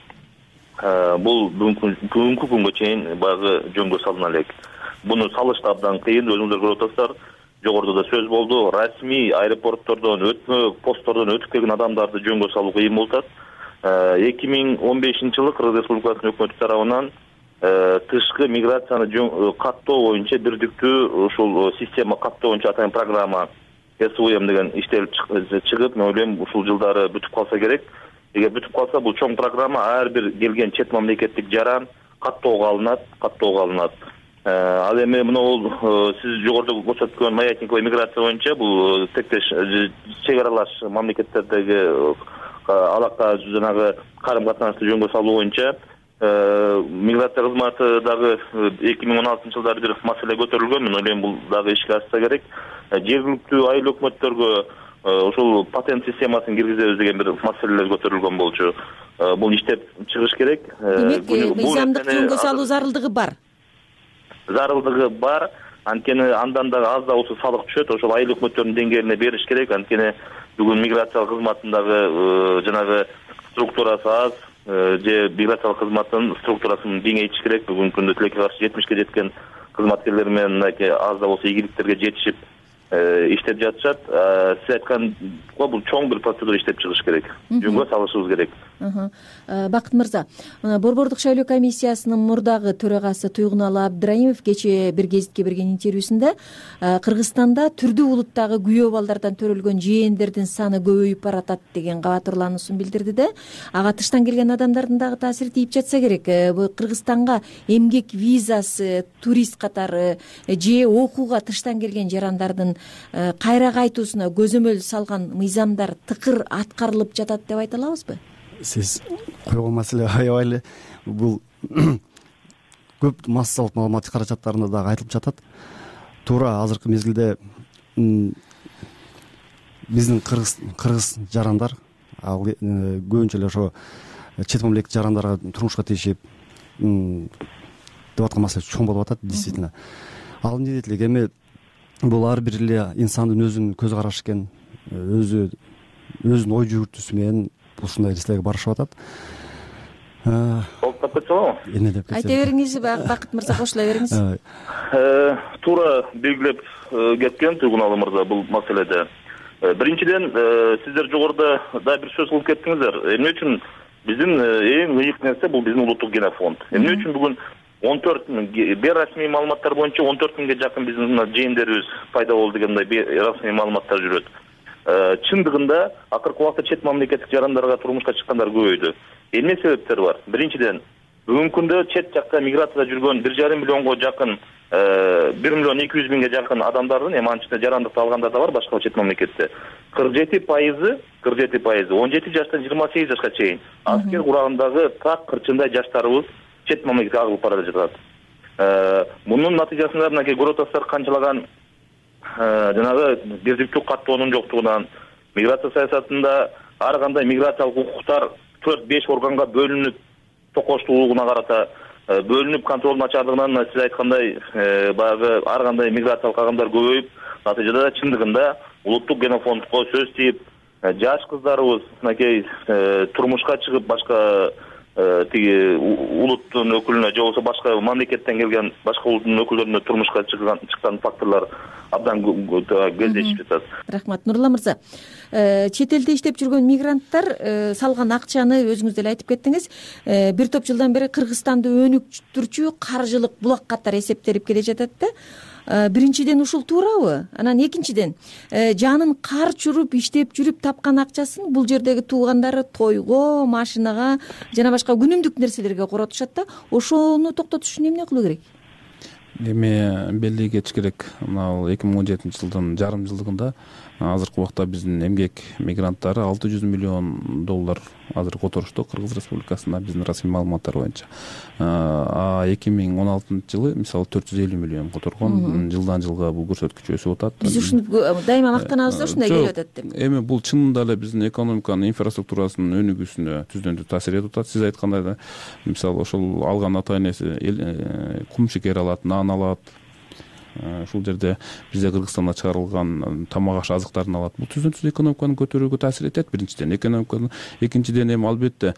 Бул бүгүнкү күнгө чейин баягы жөнгө салына элек. Буну салыш да абдан кыйын. Өзүңүздөр көрүп атасыздар. Жогоруда да сөз болду. Расмий аэропорттордон, өтмө посттордон өтүп келген адамдарды жөнгө салуу кыйын болуп атат. эки миң он бешинчи жылы Кыргыз Республикасынын өкмөтү тарабынан тышкы миграцияны каттоо боюнча бирдиктүү ушул система каттоо боюнча атайын программа эс у эм деген иштелип чыгып, мен ойлойм ушул жылдары бүтүп калса керек. Эгер бүтүп калса, бул чоң программа ар бир келген чет мамлекеттик жаран каттоого алынат, каттоого алынат. Ал эми мына сиз жогоруда көрсөткөн маятниковая миграция боюнча бул тектеш чек аралаш мамлекеттердеги алака жанагы карым катнашты жөнгө салуу боюнча миграция кызматы дагы эки миң он алтынчы жылдары бир маселе көтөрүлгөн. Мен ойлойм бул дагы ишке ашса керек. Жергиликтүү айыл өкмөттөргө ушул патент системасын киргизебиз деген бир маселелер көтөрүлгөн болчу. Бул иштеп чыгыш керек. Демек, мыйзамдык жөнгө салуу зарылдыгы бар. Зарылдыгы бар. Анткени андан дагы аз да болсо салык түшөт. Ошол айыл өкмөттөрүнүн деңгээлине бериш керек. Анткени бүгүн миграция кызматындагы жанагы структурасы аз, же миграциялык кызматтын структурасын кеңейтиш керек. Бүгүнкү күндө тилекке каршы жетимишке жеткен кызматкерлер менен мынакей аз да болсо ийгиликтерге жетишип иштеп жатышат. Сиз айткан бул чоң бир процедура иштеп чыгыш керек. Жөнгө салышыбыз керек. Бакыт мырза, Борбордук шайлоо комиссиясынын мурдагы төрагасы Туйгуналы Абдыраимов кечээ бир гезитке берген интервьюсунда Кыргызстанда түрдүү улуттагы күйөө балдардан төрөлгөн жээндердин саны көбөйүп баратат деген кабатырлануусун билдирди да. Ага тыштан келген адамдардын дагы таасири тийип жатса керек. Кыргызстанга эмгек визасы, турист катары же окууга тыштан келген жарандардын кайра кайтуусуна көзөмөл салган мыйзамдар тыкыр аткарылып жатат деп айта алабызбы? Сиз койгон маселе аябай эле бул көп массалык маалымат каражаттарында дагы айтылып жатат. Туура азыркы мезгилде биздин кыргыз кыргыз жарандар ал көбүнчө эле ошо чет мамлекеттик жарандарга турмушка тийишип деп аткан маселе чоң болуп атат действительно. Ал эмне дейт элек, эми бул ар бир эле инсандын өзүнүн көз карашы экен, өзү өзүнүн ой жүгүртүүсү менен ушундай нерселерге барышып атат. Болуп кетсе болобу? Эмне деп кетсе. Айта бериңиз, Бакыт мырза, кошула бериңиз. Туура белгилеп кеткен Туйгуналы мырза бул маселеде. Биринчиден, сиздер жогоруда да бир сөз кылып кеттиңиздер. Эмне үчүн биздин эң ыйык нерсе бул биздин улуттук генофонд. Эмне үчүн бүгүн он төрт миң бейрасмий маалыматтар боюнча он төрт миңге жакын биздин жээндерибиз пайда болду дегендей бейрасмий маалыматтар жүрөт. Чындыгында акыркы убакта чет мамлекеттик жарандарга турмушка чыккандар көбөйдү. Эмне себептер бар? Биринчиден, бүгүнкү күндө чет жакка миграцияда жүргөн бир жарым миллионго жакын, бир миллион эки жүз миңге жакын адамдардын, эми анын ичинде жарандыкты алгандар да бар башка чет мамлекетте. кырк жети пайызы, кырк жети пайызы он жети жаштан жыйырма сегиз жашка чейин аскер курагындагы так кырчындай жаштарыбыз чет мамлекетке агылып бара жатат. Мунун натыйжасында мынакей көрүп атасыздар канчалаган жанагы биздиктүү каттоонун жоктугунан, миграция саясатында ар кандай миграциялык укуктар төрт беш органга бөлүнүп, токоштуулугуна карата бөлүнүп, контролдун начардыгынан сиз айткандай баягы ар кандай миграциялык агымдар көбөйүп, натыйжада чындыгында улуттук генофондко сөз тийип, жаш кыздарыбыз мынакей турмушка чыгып башка тиги улуттун өкүлүнө же болбосо башка мамлекеттен келген башка улуттун өкүлдөрүнө турмушка чыккан чыккан факторлор абдан кездешип жатат. Рахмат. Нурулла мырза, чет элде иштеп жүргөн мигранттар салган акчаны өзүңүз деле айтып кеттиңиз, бир топ жылдан бери Кыргызстанды өнүктүрчү каржылык булак катары эсептелип келе жатат да. Биринчиден ушул туурабы? Анан экинчиден, жанын кар чуруп иштеп жүрүп тапкан акчасын бул жердеги туугандары тойго, машинага жана башка күнүмдүк нерселерге коротушат да. Ошону токтотуш үчүн эмне кылуу керек? Эми белги кетиш керек. Мына эки миң он жетинчи жылдын жарым жылдыгында азыркы убакта биздин эмгек мигранттары алты жүз миллион доллар азыр которушту Кыргыз Республикасында биздин расмий маалыматтар боюнча. А эки миң он алтынчы жылы мисалы төрт жүз элүү миллион которгон. Жылдан жылга бул көрсөткүч өсүп атат. Биз ушуну дайыма мактанабыз да, ушундай келип атат деп. Эми бул чынында эле биздин экономиканын инфраструктурасынын өнүгүүсүнө түздөн-түз таасир этип атат. Сиз айткандай да, мисалы ошол алган ата энеси кум шекер алат, нан алат. Ушул жерде бизде Кыргызстанда чыгарылган тамак аш азыктарын алат. Бул түздөн-түз экономиканы көтөрүүгө таасир этет. Биринчиден, экономиканы, экинчиден эми албетте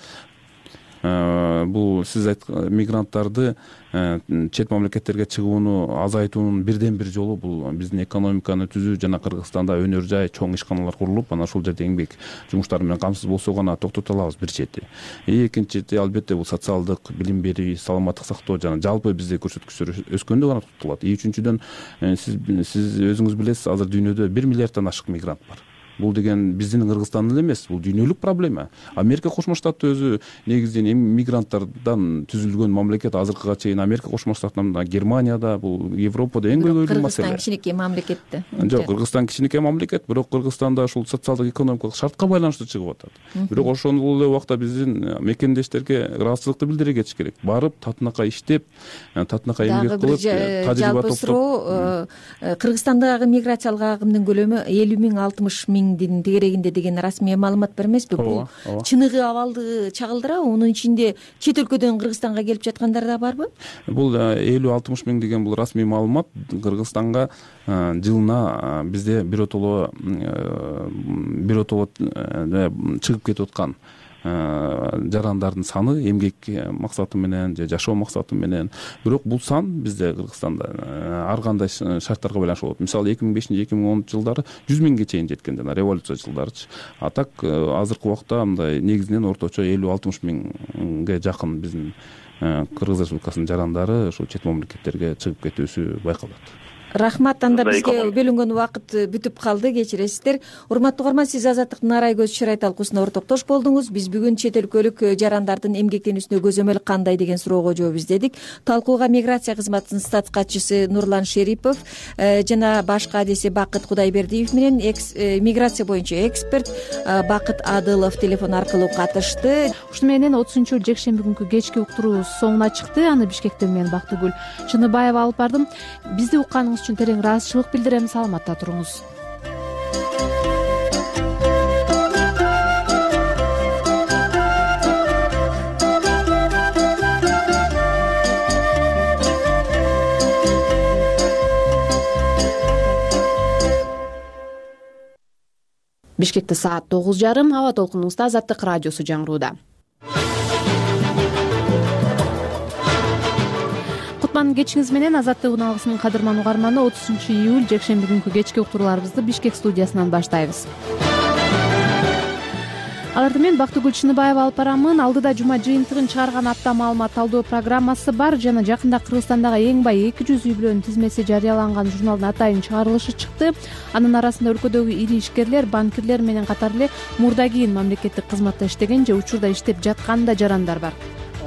бул сиз айткан мигранттарды чет мамлекеттерге чыгууну азайтуунун бирден бир жолу бул биздин экономиканы түзүү жана Кыргызстанда өнөр жай, чоң ишканалар курулуп, анан ошол жерде эмгек жумуштары менен камсыз болсо гана токтото алабыз бир чети. Экинчиси албетте бул социалдык билим берүү, саламаттык сактоо жана жалпы бизде көрсөткүчтөр өскөндө гана токтотулат. И үчүнчүдөн сиз сиз өзүңүз билесиз, азыр дүйнөдө бир миллиарддан ашык мигрант бар. Бул деген биздин Кыргызстандын эле эмес, бул дүйнөлүк проблема. Америка Кошмо Штаты өзү негизинен мигранттардан түзүлгөн мамлекет. Азыркыга чейин Америка Кошмо Штатында, Германияда, бул Европада эң көйгөйлүү маселе. Кыргызстан кичинекей мамлекетте. Жок, Кыргызстан кичинекей мамлекет, бирок Кыргызстанда ушул социалдык экономикалык шартка байланыштуу чыгып атат. Бирок ошол эле убакта биздин мекендештерге ыраазычылыкты билдире кетиш керек. Барып, татынакай иштеп, татынакай эмгек кылып, тажрыйба топтоп. Суроо, Кыргызстандагы миграциялык агымдын көлөмү элүү миң алтымыш миңдин тегерегинде деген расмий маалымат бар эмеспи? Бул чыныгы абалды чагылдырабы? Мунун ичинде чет өлкөдөн Кыргызстанга келип жаткандар да барбы? Бул элүү алтымыш миң деген бул расмий маалымат. Кыргызстанга жылына бизде биротоло биротоло чыгып кетип аткан жарандардын саны эмгек максаты менен же жашоо максаты менен. Бирок бул сан бизде Кыргызстанда ар кандай шарттарга байланыштуу болот. Мисалы эки миң бешинчи эки миң онунчу жылдары жүз миңге чейин жеткен, жана революция жылдарычы. А так азыркы убакта мындай негизинен орточо элүү алтымыш миңге жакын биздин Кыргыз Республикасынын жарандары ушул чет мамлекеттерге чыгып кетүүсү байкалат. Рахмат. Анда бизге бөлүнгөн убакыт бүтүп калды, кечиресиздер. Урматтуу угарман, сиз Азаттыктын Арай көз чырай талкуусуна ортоктош болдуңуз. Биз бүгүн чет өлкөлүк жарандардын эмгектенүүсүнө көзөмөл кандай деген суроого жооп издедик. Талкууга миграция кызматынын статс катчысы Нурлан Шерипов жана башка адеси Бакыт Кудайбердиев менен миграция боюнча эксперт Бакыт Адылов телефон аркылуу катышты. Ушуну менен отузунчу жекшемби күнкү кечки уктуруу соңуна чыкты. Аны Бишкектен мен Бактыгүл Чыныбаева алып бардым. Бизди укканыңыз үчүн терең ыраазычылык билдирем. Саламатта туруңуз. Бишкекте саат тогуз жарым. Аба толкунуңузда Азаттык радиосу жаңырууда. Кутман кечиңиз менен. Азаттык уналгысынын кадырман угарманы, отузунчу июль жекшемби күнкү кечки уктурууларыбызды Бишкек студиясынан баштайбыз. Аларды мен Бактыгүл Чыныбаева алып барамын. Алдыда жума жыйынтыгын чыгарган апта маалымат талдоо программасы бар жана жакында Кыргызстандагы эң бай эки жүз үй бүлөнүн тизмеси жарыяланган журналдын атайын чыгарылышы чыкты. Анын арасында өлкөдөгү ири ишкерлер, банкирлер менен катары эле мурда кийин мамлекеттик кызматта иштеген же учурда иштеп жаткан да жарандар бар.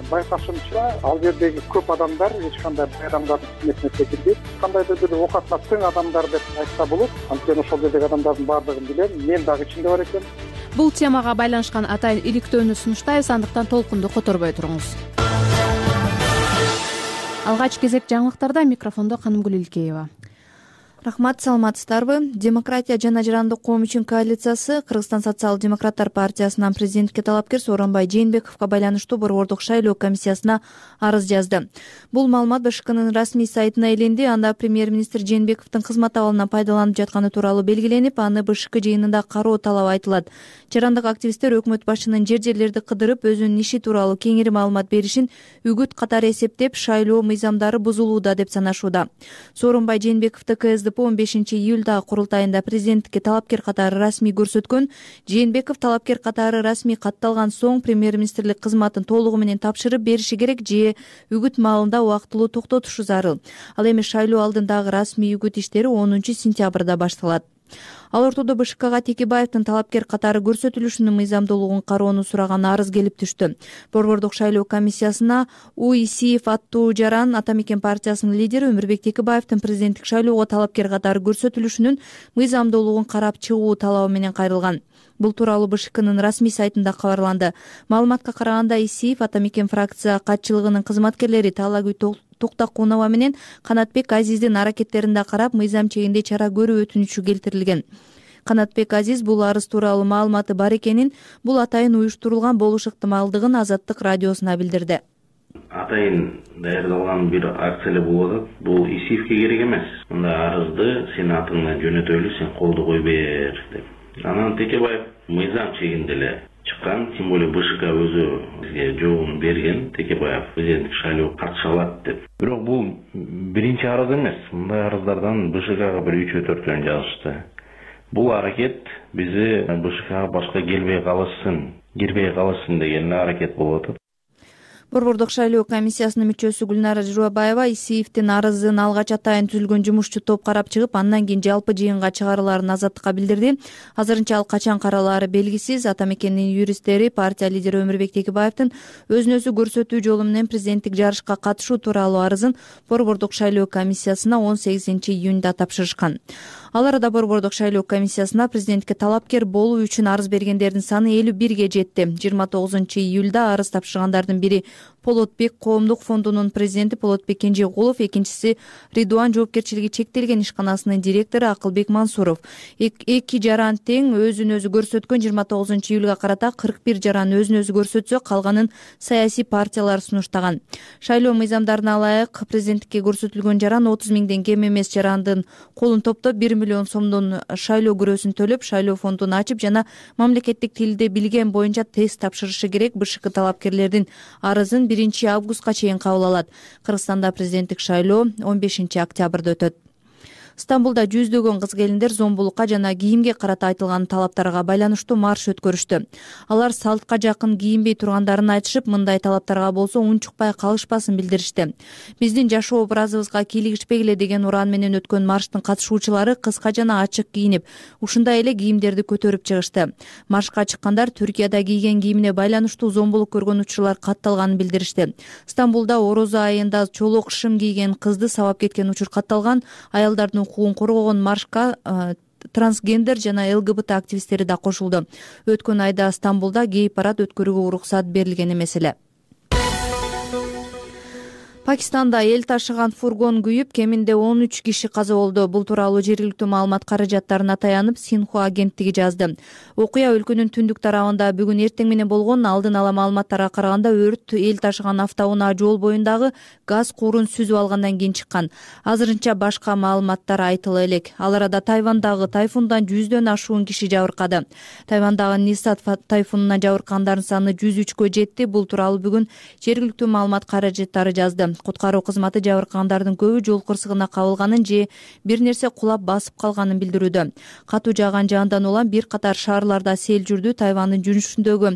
Байкашымча, ал жердеги көп адамдар эч кандай бай адамдардын тизмесине секирбейт. Кандайдыр бир оокатына тең адамдар деп айтса болот. Анткени ошол жердеги адамдардын баардыгын билем. Мен дагы ичинде бар экенмин. Бул темага байланышкан атайын иликтөөнү сунуштайбыз, андыктан толкунду которбой туруңуз. Алгач кезек жаңылыктарда, микрофондо Канымгүл Илкеева. Рахмат, саламатсыздарбы? Демократия жана жарандык коом үчүн коалициясы Кыргызстан социал-демократтар партиясынан президентке талапкер Сооронбай Жээнбековго байланыштуу борбордук шайлоо комиссиясына арыз жазды. Бул маалымат БШКнын расмий сайтына илинди. Анда премьер-министр Жээнбековдун кызмат абалынан пайдаланып жатканы тууралуу белгиленип, аны БШК жыйынында кароо талабы айтылат. Жарандык активисттер өкмөт башчынын жер-жерлерди кыдырып, өзүнүн иши тууралуу кеңири маалымат беришин үгүт катары эсептеп, шайлоо мыйзамдары бузулууда деп санашууда. Сооронбай Жээнбековду КСДП он бешинчи июльдагы курултайында президенттикке талапкер катары расмий көрсөткөн. Жээнбеков талапкер катары расмий катталган соң премьер-министрлик кызматын толугу менен тапшырып бериши керек же үгүт маалында убактылуу токтотушу зарыл. Ал эми шайлоо алдындагы расмий үгүт иштери онунчу сентябрда башталат. Ал ортодо БШКга Текебаевдин талапкер катары көрсөтүлүшүнүн мыйзамдуулугун кароону сураган арыз келип түштү. Борбордук шайлоо комиссиясына У Исиев аттуу жаран Ата Мекен партиясынын лидери Өмүрбек Текебаевдин президенттик шайлоого талапкер катары көрсөтүлүшүнүн мыйзамдуулугун карап чыгуу талабы менен кайрылган. Бул тууралуу БШКнын расмий сайтында кабарланды. Маалыматка караганда, Исиев Ата Мекен фракция катчылыгынын кызматкерлери Таалагүй Токтакунова менен Канатбек Азиздин аракеттерине карап мыйзам чегинде чара көрүү өтүнүчү келтирилген. Канатбек Азиз бул арыз тууралуу маалыматы бар экенин, бул атайын уюштурулган болуш ыктымалдыгын Азаттык радиосуна билдирди. Атайын даярдалган бир акция эле болуп атат. Бул Исиевке керек эмес. Мындай арызды сен атыңдан жөнөтөлү, сен колду кой бер деп. Анан Текебаев мыйзам чегинде эле чыккан, тем более БШК өзү бизге жообун берген, Текебаев президенттик шайлоого катыша алат деп. Бирок бул биринчи арыз эмес. Мындай арыздардан БШКга бир үчөө төртөн жазышты. Бул аракет бизи БШКга башка келбей калышсын, кирбей калышсын деген аракет болуп атат. Борбордук шайлоо комиссиясынын мүчөсү Гүлнара Журабаева Исиевдин арызын алгач атайын түзүлгөн жумушчу топ карап чыгып, андан кийин жалпы жыйынга чыгарылаарын Азаттыкка билдирди. Азырынча ал качан каралаары белгисиз. Ата Мекендин юристтери партия лидери Өмүрбек Текебаевдин өзүн өзү көрсөтүү жолу менен президенттик жарышка катышуу тууралуу арызын борбордук шайлоо комиссиясына он сегизинчи июнда тапшырышкан. Ал арада борбордук шайлоо комиссиясына президентке талапкер болуу үчүн арыз бергендердин саны элүү бирге жетти. жыйырма тогузунчу июлда арыз тапшыргандардын бири Полотбек коомдук фондунун президенти Полотбек Кенжегулов, экинчиси Ридуан жоопкерчилиги чектелген ишканасынын директору Акылбек Мансуров. Эки жаран тең өзүн өзү көрсөткөн. жыйырма тогузунчу июлга карата кырк бир жаран өзүн өзү көрсөтсө, калганын саясий партиялар сунуштаган. Шайлоо мыйзамдарына ылайык президенттикке көрсөтүлгөн жаран отуз миңден кем эмес жарандын колун топтоп бир миллион сомдон шайлоо күрөөсүн төлөп, шайлоо фондун ачып жана мамлекеттик тилди билген боюнча тест тапшырышы керек. БШК талапкерлердин арызын биринчи августка чейин кабыл алат. Кыргызстанда президенттик шайлоо он бешинчи октябрда өтөт. Стамбулда жүздөгөн кыз-келиндер зомбулукка жана кийимге карата айтылган талаптарга байланыштуу марш өткөрүштү. Алар салтка жакын кийинбей тургандарын айтышып, мындай талаптарга болсо унчукпай калышпасын билдиришти. Биздин жашоо образыбызга кийлигишпегиле деген уран менен өткөн марштын катышуучулары кыска жана ачык кийинип, ушундай эле кийимдерди көтөрүп чыгышты. Маршка чыккандар Түркияда кийген кийимине байланыштуу зомбулук көргөн учурлар катталганын билдиришти. Стамбулда орозо айында чолок шым кийген кызды сабап кеткен учур катталган. Аялдардын укугун коргогон маршка трансгендер жана ЛГБТ активисттери да кошулду. Өткөн айда Стамбулда гей парад өткөрүүгө уруксат берилген эмес эле. Пакистанда эл ташыган фургон күйүп, кеминде он үч киши каза болду. Бул тууралуу жергиликтүү маалымат каражаттарына таянып Синхуа агенттиги жазды. Окуя өлкөнүн түндүк тарабында бүгүн эртең менен болгон. Алдын ала маалыматтарга караганда өрт эл ташыган автоунаа жол боюндагы газ куурун сүзүп алгандан кийин чыккан. Азырынча башка маалыматтар айтыла элек. Ал арада Тайвандагы тайфундан жүздөн ашуун киши жабыркады. Тайвандагы Нисат тайфунуна жабыркандардын саны жүз үчкө жетти. Бул тууралуу бүгүн жергиликтүү маалымат каражаттары жазды. Куткаруу кызматы жабыркагандардын көбү жол кырсыгына кабылганын же бир нерсе кулап басып калганын билдирүүдө. Катуу жааган жаандан улам бир катар шаарларда сел жүрдү. Тайвандын жүрүшүндөгү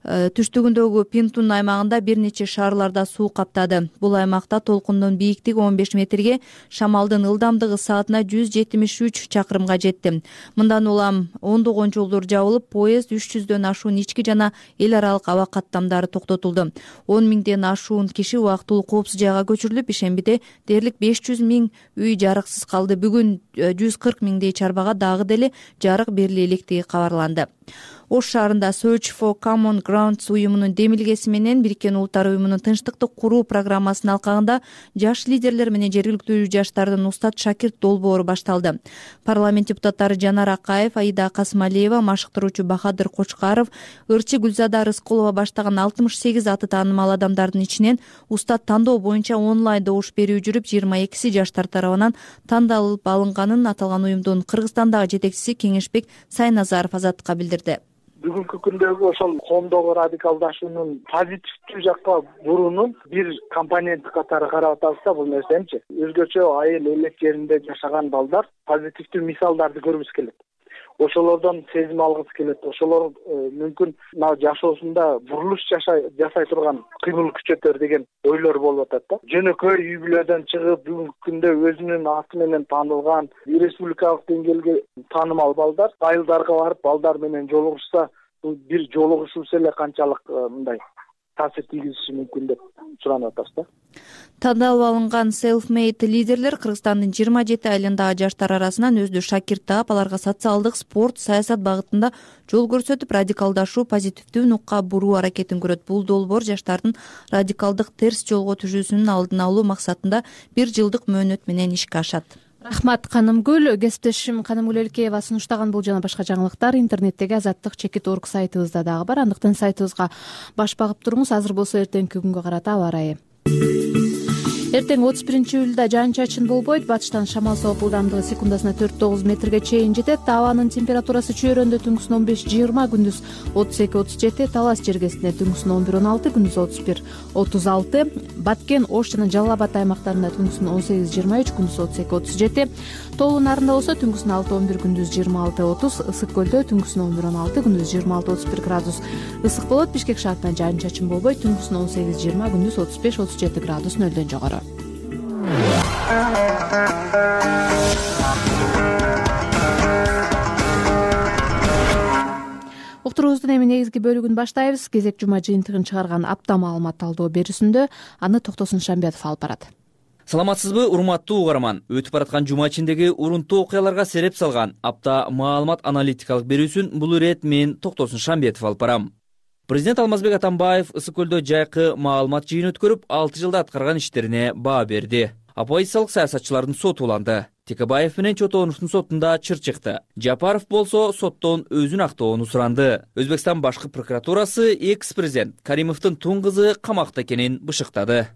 түштүгүндөгү Пинтун аймагында бир нече шаарларда суу каптады. Бул аймакта толкундун бийиктиги он беш метрге, шамалдын ылдамдыгы саатына жүз жетимиш үч чакырымга жетти. Мындан улам ондогон жолдор жабылып, поезд үч жүздөн ашуун ички жана эл аралык аба каттамдары токтотулду. он миңден ашуун киши убактылуу коопсуз жайга көчүрүлүп, ишембиде дээрлик беш жүз миң үй жарыксыз калды. Бүгүн жүз кырк миңдей чарбага дагы деле жарык бериле электиги кабарланды. Ош шаарында Search for Common Grounds уюмунун демилгеси менен Бириккен Улуттар уюмунун тынчтыкты куруу программасынын алкагында жаш лидерлер менен жергиликтүү жаштардын устат шакирт долбоору башталды. Парламент депутаттары Жанар Акаев, Аида Касымалиева, машыктыруучу Бахадыр Кочкаров, ырчы Гүлзада Рыскулова баштаган алтымыш сегиз аты таанымал адамдардын ичинен устат тандоо боюнча онлайн добуш берүү жүрүп, жыйырма экиси жаштар тарабынан тандалып алынганын аталган уюмдун Кыргызстандагы жетекчиси Кеңешбек Сайназаров Азаттыкка билдирди. Бүгүнкү күндөгү ошол коомдогу радикалдашуунун позитивдүү жакка буруунун бир компоненти катары карап атабыз да бул нерсеничи. Өзгөчө айыл элек жеринде жашаган балдар позитивдүү мисалдарды көргүбүз келет. Ошолордон сезим алгыбыз келет. Ошолор мүмкүн мына жашоосунда бурулуш жасай турган кыймыл күчөтөр деген ойлор болуп атат да. Жөнөкөй үй бүлөдөн чыгып, бүгүнкү күндө өзүнүн аты менен таанылган, республикалык деңгээлге таанымал балдар айылдарга барып балдар менен жолугушса, бул бир жолугушуусу эле канчалык мындай таасир тийгизиши мүмкүн деп суранып атабыз да. Тандалып алынган self-made лидерлер Кыргызстандын жыйырма жети айылындагы жаштар арасынан өздү шакирт таап, аларга социалдык, спорт, саясат багытында жол көрсөтүп, радикалдашуу, позитивдүү нукка буруу аракетин көрөт. Бул долбоор жаштардын радикалдык терс жолго түшүүсүнүн алдын алуу максатында бир жылдык мөөнөт менен ишке ашат. Рахмат Канымгүл. Кесиптешим Канымгүл Элкеева сунуштаган бул жана башка жаңылыктар интернеттеги азаттык чекит орг сайтыбызда дагы бар. Андыктан сайтыбызга баш багып туруңуз. Азыр болсо эртеңки күнгө карата аба ырайы. Эртең отуз биринчи июлда жаан-чачын болбойт. Батыштан шамал сооп, ылдамдыгы секундасына төрт тогуз метрге чейин жетет. Абанын температурасы чөйрөндө түнкүсүн он беш жыйырма, күндүз отуз эки отуз жети, Талас жергесинде түнкүсүн он бир он алты, күндүз отуз бир отуз алты, Баткен, Ош жана Жалал Абад аймактарында түнкүсүн он сегиз жыйырма үч, күндүз отуз эки отуз жети, Тоолуу нарында болсо түнкүсүн алты он бир, күндүз жыйырма алты отуз, Ысык көлдө түнкүсүн он бир он алты, күндүз жыйырма алты отуз бир градус ысык болот. Бишкек шаарында жаан-чачын болбойт, түнкүсүн он сегиз жыйырма, күндүз отуз беш отуз жети градус нөлдөн жогору. Уктуруубуздун эми негизги бөлүгүн баштайбыз. Кезек жума жыйынтыгын чыгарган апта маалымат талдоо берүүсүндө аны Токтосун Шамбетов алып барат. Саламатсызбы, урматтуу угарман. Өтүп бараткан жума ичиндеги урунттуу окуяларга сереп салган апта маалымат аналитикалык берүүсүн бул ирет мен Токтосун Шамбетов алып барам. Президент Алмазбек Атамбаев Ысык көлдө жайкы маалымат жыйын өткөрүп, алты жылда аткарган иштерине баа берди. Оппозициялык саясатчылардын соту уланды. Текебаев менен Чотоновдун сотунда чыр чыкты. Жапаров болсо соттон өзүн актоону суранды. Өзбекстан башкы прокуратурасы экс-президент Каримовдун тун кызы камакта экенин бышыктады.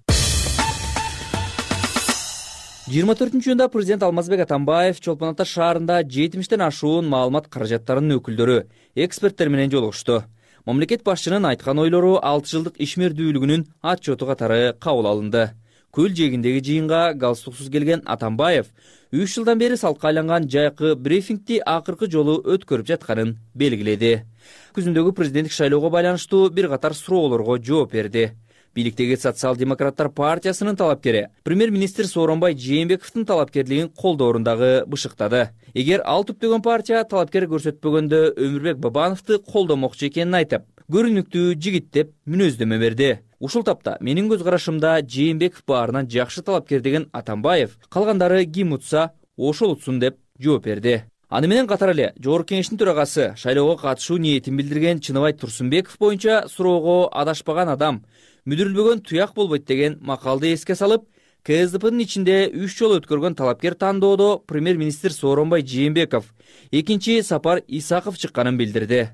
жыйырма төртүнчү июнда президент Алмазбек Атамбаев Чолпон Ата шаарында жетимиштен ашуун маалымат каражаттарынын өкүлдөрү, эксперттер менен жолугушту. Мамлекет башчынын айткан ойлору алты жылдык ишмердүүлүгүнүн отчету катары кабыл алынды. Көл жээгиндеги жыйынга галстуксуз келген Атамбаев үч жылдан бери салкка айланган жайкы брифингди акыркы жолу өткөрүп жатканын белгиледи. Күзүндөгү президенттик шайлоого байланыштуу бир катар суроолорго жооп берди. Бийликтеги Социал-демократтар партиясынын талапкери премьер-министр Сооронбай Жээнбековдун талапкерлигин колдоорундагы бышыктады. Эгер ал түптөгөн партия талапкер көрсөтпөгөндө Өмүрбек Бабановду колдомокчу экенин айтып, көрүнүктүү жигит деп мүнөздөмө берди. Ушул тапта менин көз карашымда Жээнбеков баарынан жакшы талапкер деген Атамбаев, калгандары ким утса ошол утсун деп жооп берди. Аны менен катар эле Жогорку Кеңештин төрагасы шайлоого катышуу ниетин билдирген Чыныбай Турсунбеков боюнча суроого адашпаган адам мүдүрүлбөгөн туяк болбойт деген макалды эске салып, КСДПнын ичинде үч жолу өткөргөн талапкер тандоодо премьер-министр Сооронбай Жээнбеков, экинчи Сапар Исаков чыкканын билдирди.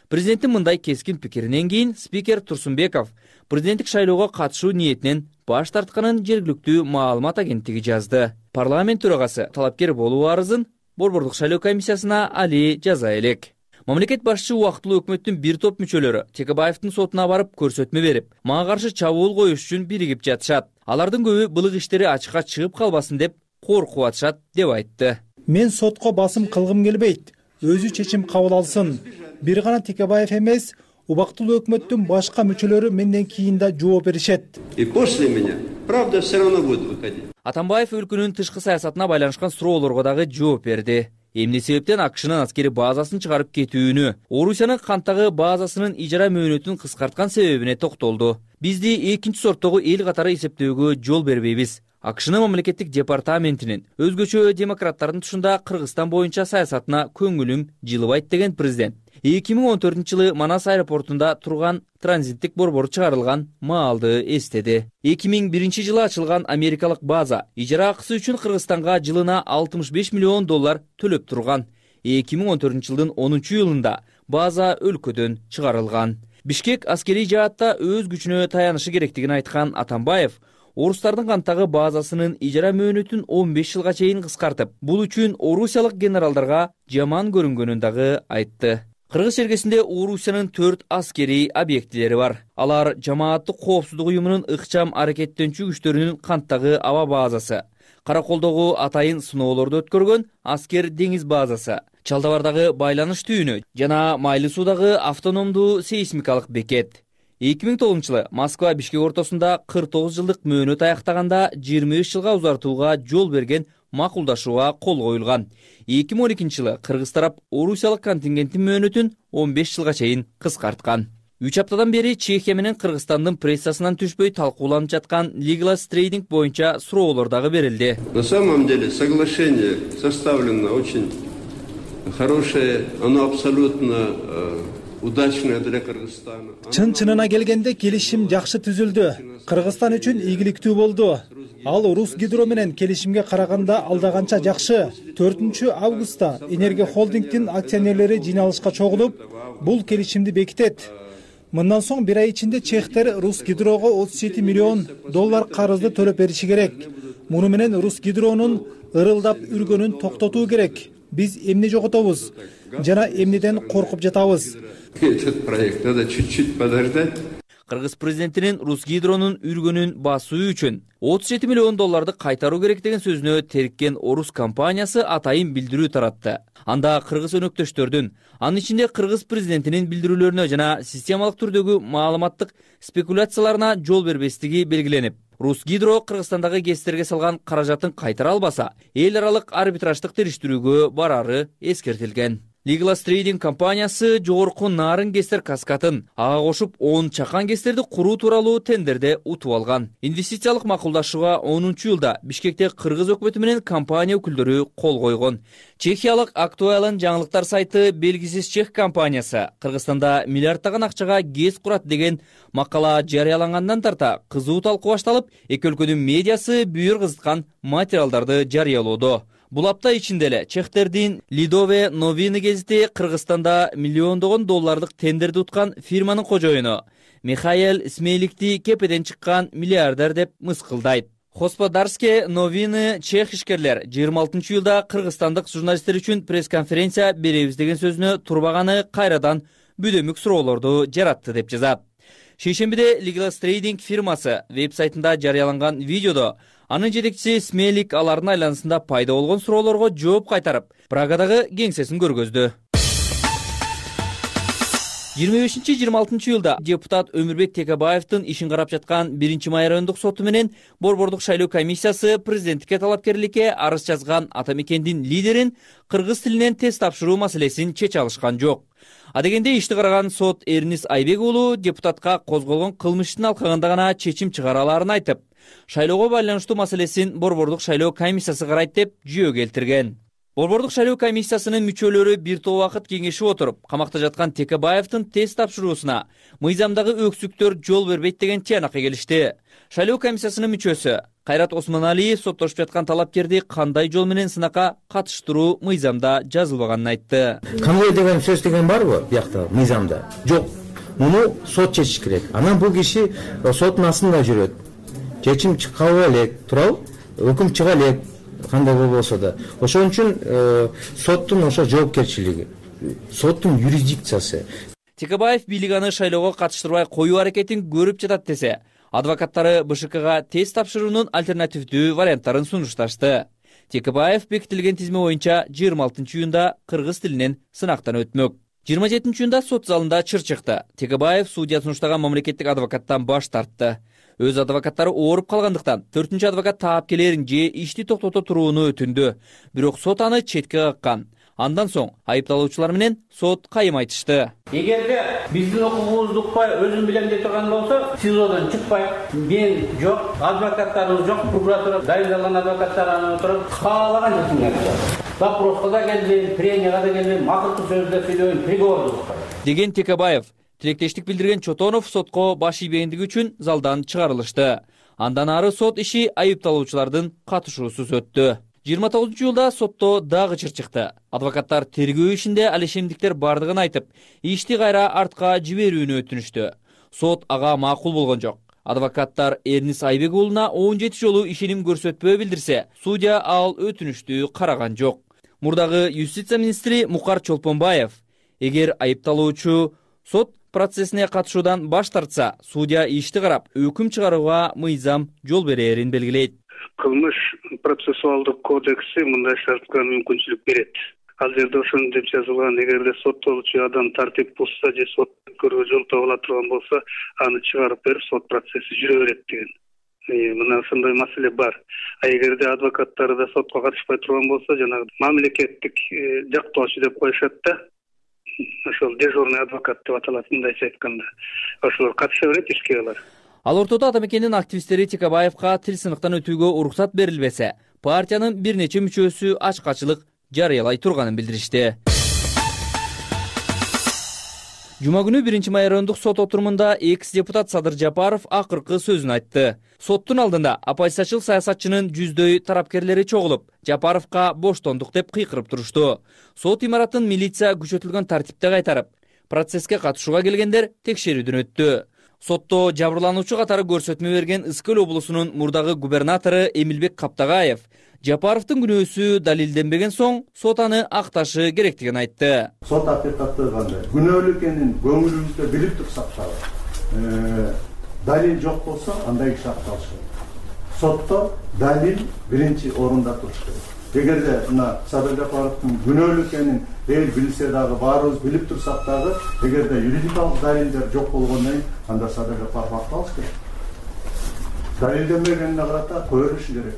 Президенттин мындай кескин пикиринен кийин спикер Турсунбеков президенттик шайлоого катышуу ниетинен баш тартканын жергиликтүү маалымат агенттиги жазды. Парламент төрагасы талапкер болуу арызын Борбордук шайлоо комиссиясына али жаза элек. Мамлекет башчы убактылуу өкмөттүн бир топ мүчөлөрү Текебаевдин сотуна барып көрсөтмө берип, мага каршы чабуул коюш үчүн биригип жатышат. Алардын көбү былык иштери ачыкка чыгып калбасын деп коркуп атышат деп айтты. Мен сотко басым кылгым келбейт. Өзү чечим кабыл алсын. Бир гана Текебаев эмес, убактылуу өкмөттүн башка мүчөлөрү менден кийин да жооп беришет. И после меня правда все равно будет выходить. Атамбаев өлкөнүн тышкы саясатына байланышкан суроолорго дагы жооп берди. Эмне себептен АКШнын аскери базасын чыгарып кетүүнү, Орусиянын канттагы базасынын ижара мөөнөтүн кыскарткан себебине токтолду. Бизди экинчи сорттогу эл катары эсептөөгө жол бербейбиз. АКШнын мамлекеттик департаментинин өзгөчө демократтардын тушунда Кыргызстан боюнча саясатына көңүлүм жылыбайт деген президент эки миң он төртүнчү жылы Манас аэропортунда турган транзиттик борбор чыгарылган маалды эстеди. эки миң биринчи жылы ачылган америкалык база ижара акысы үчүн Кыргызстанга жылына алтымыш беш миллион доллар төлөп турган. эки миң он төртүнчү жылдын онунчу июлунда база өлкөдөн чыгарылган. Бишкек аскерий жаатта өз күчүнө таянышы керектигин айткан Атамбаев орустардын канттагы базасынын ижара мөөнөтүн он беш жылга чейин кыскартып, бул үчүн орусиялык генералдарга жаман көрүнгөнүн дагы айтты. Кыргыз чергесинде Орусиянын төрт аскерий объектилери бар. Алар жамааттык коопсуздук уюмунун ыкчам аракеттенчү күчтөрүнүн канттагы аба базасы, Караколдогу атайын сыноолорду өткөргөн аскер деңиз базасы, Чалдабардагы байланыш түйүнү жана Майлы суудагы автономдуу сейсмикалык бекет. эки миң тогузунчу жылы Москва Бишкек ортосунда кырк тогуз жылдык мөөнөт аяктаганда жыйырма үч жылга узартууга жол берген макулдашууга кол коюлган. эки миң он экинчи жылы Кыргыз тарап орусиялык контингенттин мөөнөтүн он беш жылга чейин кыскарткан. үч аптадан бери Чехия менен Кыргызстандын прессасынан түшпөй талкууланып жаткан Legalis Trading боюнча суроолор дагы берилди. На самом деле соглашение составлено очень хорошее, оно абсолютно удачная для Кыргызстана. Чын-чынына келгенде келишим жакшы түзүлдү. Кыргызстан үчүн ийгиликтүү болду. Ал Русгидро менен келишимге караганда алдаганча жакшы. төртүнчү августта Энергия холдингдин акционерлери жыйналышка чогулуп, бул келишимди бекитет. Мындан соң бир ай ичинде чехтер Русгидрого отуз жети миллион доллар карызды төлөп бериши керек. Муну менен Русгидронун ырылдап үргөнүн токтотуу керек. Биз эмне жоготобуз жана эмнеден коркуп жатабыз. Этот проект надо чуть-чуть подождать. Кыргыз президентинин Русгидронун үргөнүн басуу үчүн отуз жети миллион долларды кайтаруу керек деген сөзүнө териккен орус компаниясы атайын билдирүү таратты. Анда кыргыз өнөктөштөрдүн, анын ичинде кыргыз президентинин билдирүүлөрүнө жана системалык түрдөгү маалыматтык спекуляцияларына жол бербестиги белгиленип, Русгидро Кыргызстандагы ГЭСтерге салган каражатын кайтара албаса, эл аралык арбитраждык териштирүүгө барары эскертилген. Legalis Trading компаниясы жогорку нарын ГЭСтер каскатын ага кошуп он чакан ГЭСтерди куруу тууралуу тендерде утуп алган. Инвестициялык макулдашууга онунчу июлда Бишкекте кыргыз өкмөтү менен компания өкүлдөрү кол койгон. Чехиялык Актуален жаңылыктар сайты белгисиз чех компаниясы Кыргызстанда миллиарддаган акчага ГЭС курат деген макала жарыялангандан тарта кызуу талкуу башталып, эки өлкөнүн медиасы бүйүр кызыткан материалдарды жарыялоодо. Бул апта ичинде эле чехтердин Лидове Новины гезити Кыргызстанда миллиондогон доллардык тендерди уткан фирманын кожоюну Михаил Смейликти кепеден чыккан миллиардер деп мыскылдайт. Господарские новины чех ишкерлер жыйырма алтынчы июлда кыргызстандык журналисттер үчүн пресс-конференция беребиз деген сөзүнө турбаганы кайрадан бүдөмүк суроолорду жаратты деп жазат. Шейшембиде Legalis Trading фирмасы веб-сайтында жарыяланган видеодо анын жетекчиси Смейлик алардын айланасында пайда болгон суроолорго жооп кайтарып, Прагадагы кеңсесин көргөздү. жыйырма бешинчи жыйырма алтынчы июлда депутат Өмүрбек Текебаевдин ишин карап жаткан биринчи май райондук соту менен Борбордук шайлоо комиссиясы президенттикке талапкерликке арыз жазган ата мекендин лидерин кыргыз тилинен тест тапшыруу маселесин чече алышкан жок. Адегенде ишти караган сот Эрнис Айбек уулу депутатка козголгон кылмыштын алкагында гана чечим чыгара аларын айтып, шайлоого байланыштуу маселесин Борбордук шайлоо комиссиясы карайт деп жүйө келтирген. Борбордук шайлоо комиссиясынын мүчөлөрү бир топ убакыт кеңешип отуруп, камакта жаткан Текебаевдин тест тапшыруусуна мыйзамдагы өксүктөр жол бербейт деген тыянакка келишти. Шайлоо комиссиясынын мүчөсү Кайрат Осмоналиев соттошуп жаткан талапкерди кандай жол менен сынакка катыштыруу мыйзамда жазылбаганын айтты. Конвой деген сөз деген барбы биякта мыйзамда? Жок. Муну сот чечиш керек. Анан бул киши соттун астында жүрөт. Чечим чыга элек, туурабы? Өкүм чыга элек. Кандай болбосо да. Ошон үчүн соттун ошо жоопкерчилиги, соттун юрисдикциясы. Текебаев бийлик аны шайлоого катыштырбай коюу аракетин көрүп жатат десе, адвокаттары БШКга тест тапшыруунун альтернативдүү варианттарын сунушташты. Текебаев бекитилген тизме боюнча жыйырма алтынчы июнда кыргыз тилинен сынактан өтмөк. жыйырма жетинчи июнда сот залында чыр чыкты. Текебаев судья сунуштаган мамлекеттик адвокаттан баш тартты. Өз адвокаттары ооруп калгандыктан төртүнчү адвокат таап келерин же ишти токтото турууну өтүндү. Бирок сот аны четке каккан. Андан соң айыпталуучулар менен сот кайым айтышты. Эгерде биздин укугубузду укпай өзүм билем деп турган болсо, СИЗОдон чыкпай, мен жок, адвокаттарыбыз жок, прокуратура дайындалган адвокаттар аны отуруп каалаган жерин айтат. Допроско да келбейм, пренияга да келбейм, макулдуу сөздө сүйлөйм, приговорду укпай. Деген Текебаев. Тилектештик билдирген Чотонов сотко баш ийбегендиги үчүн залдан чыгарылышты. Андан ары сот иши айыпталуучулардын катышуусуз өттү. жыйырма тогузунчу июлда сотто дагы чыр чыкты. Адвокаттар тергөө ишинде алешемдиктер бардыгын айтып, ишти кайра артка жиберүүнү өтүнүштү. Сот ага макул болгон жок. Адвокаттар Эрнис Айбек уулуна он жети жолу ишеним көрсөтпөө билдирсе, судья ал өтүнүштү караган жок. Мурдагы юстиция министри Мукар Чолпонбаев, эгер айыпталуучу сот процессине катышуудан баш тартса, судья ишти карап өкүм чыгарууга мыйзам жол берерин белгилейт. Кылмыш процессуалдык кодекси мындай шартка мүмкүнчүлүк берет. Ал жерде ошону деп жазылган, эгерде соттолуучу адам тартип бузса же сот көрүүгө жол табыла турган болсо, аны чыгарып берип сот процесси жүрө берет деген. Мына ошондой маселе бар. А эгерде адвокаттары да сотко катышпай турган болсо, жанагы мамлекеттик жактоочу деп коюшат да. Ошол дежурный адвокат деп аталат, мындайча айтканда. Ошолор катыша берет ишке алар. Ал ортодо ата мекендин активисттери Текебаевга тил сыныктан өтүүгө уруксат берилбесе, партиянын бир нече мүчөсү ачкачылык жарыялай турганын билдиришти. Жума күнү биринчи май райондук сот отурумунда экс-депутат Садыр Жапаров акыркы сөзүн айтты. Соттун алдында оппозициячыл саясатчынын жүздөй тарапкерлери чогулуп, Жапаровга боштондук деп кыйкырып турушту. Сот имаратын милиция күчөтүлгөн тартипте кайтарып, процесске катышууга келгендер текшерүүдөн өттү. Сотто жабырлануучу катары көрсөтмө берген Ысыкөл облусунун мурдагы губернатору Эмилбек Каптагаев Жапаровдун күнөөсү далилденбеген соң сот аны акташы керектигин айтты. Сот акыйкаты кандай? Күнөөлүү экенин көңүлүбүздө билип турсак дагы, далил жок болсо андай киши акталышы керек. Сотто далил биринчи орунда туруш керек. Эгерде мына Садыр Жапаровдун күнөөлүү экенин эл билсе дагы, баарыбыз билип турсак дагы, эгерде юридикалык далилдер жок болгондон кийин анда Садыр Жапаров акталыш керек. Далилденбегенине карата кое бериши керек.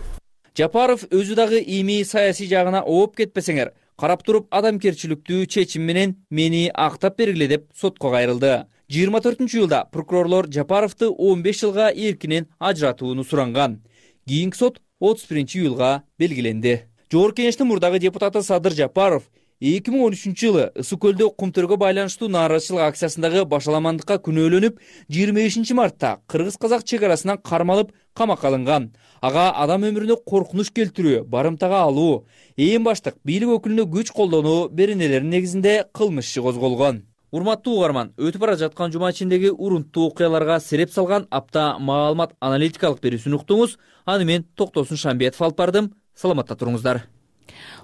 Жапаров өзү дагы эми саясий жагына ооп кетпесеңер, карап туруп адамгерчиликтүү чечим менен мени актап бергиле деп сотко кайрылды. жыйырма төртүнчү июлда прокурорлор Жапаровду он беш жылга эркинен ажыратууну суранган. Кийинки сот отуз биринчи июлга белгиленди. Жогорку кеңештин мурдагы депутаты Садыр Жапаров эки миң он үчүнчү жылы Ысыкөлдө кумтөргө байланыштуу нааразычылык акциясындагы башаламандыкка күнөөлөнүп, жыйырма бешинчи мартта кыргыз-казак чек арасынан кармалып камакка алынган. Ага адам өмүрүнө коркунуч келтирүү, барымтага алуу, эң баштык бийлик өкүлүнө күч колдонуу беренелеринин негизинде кылмыш иши козголгон. Урматтуу угарман, өтүп бара жаткан жума ичиндеги урунттуу окуяларга сереп салган апта маалымат аналитикалык берүүсүн уктуңуз. Аны мен Токтосун Шамбиетов алып бардым. Саламатта туруңуздар.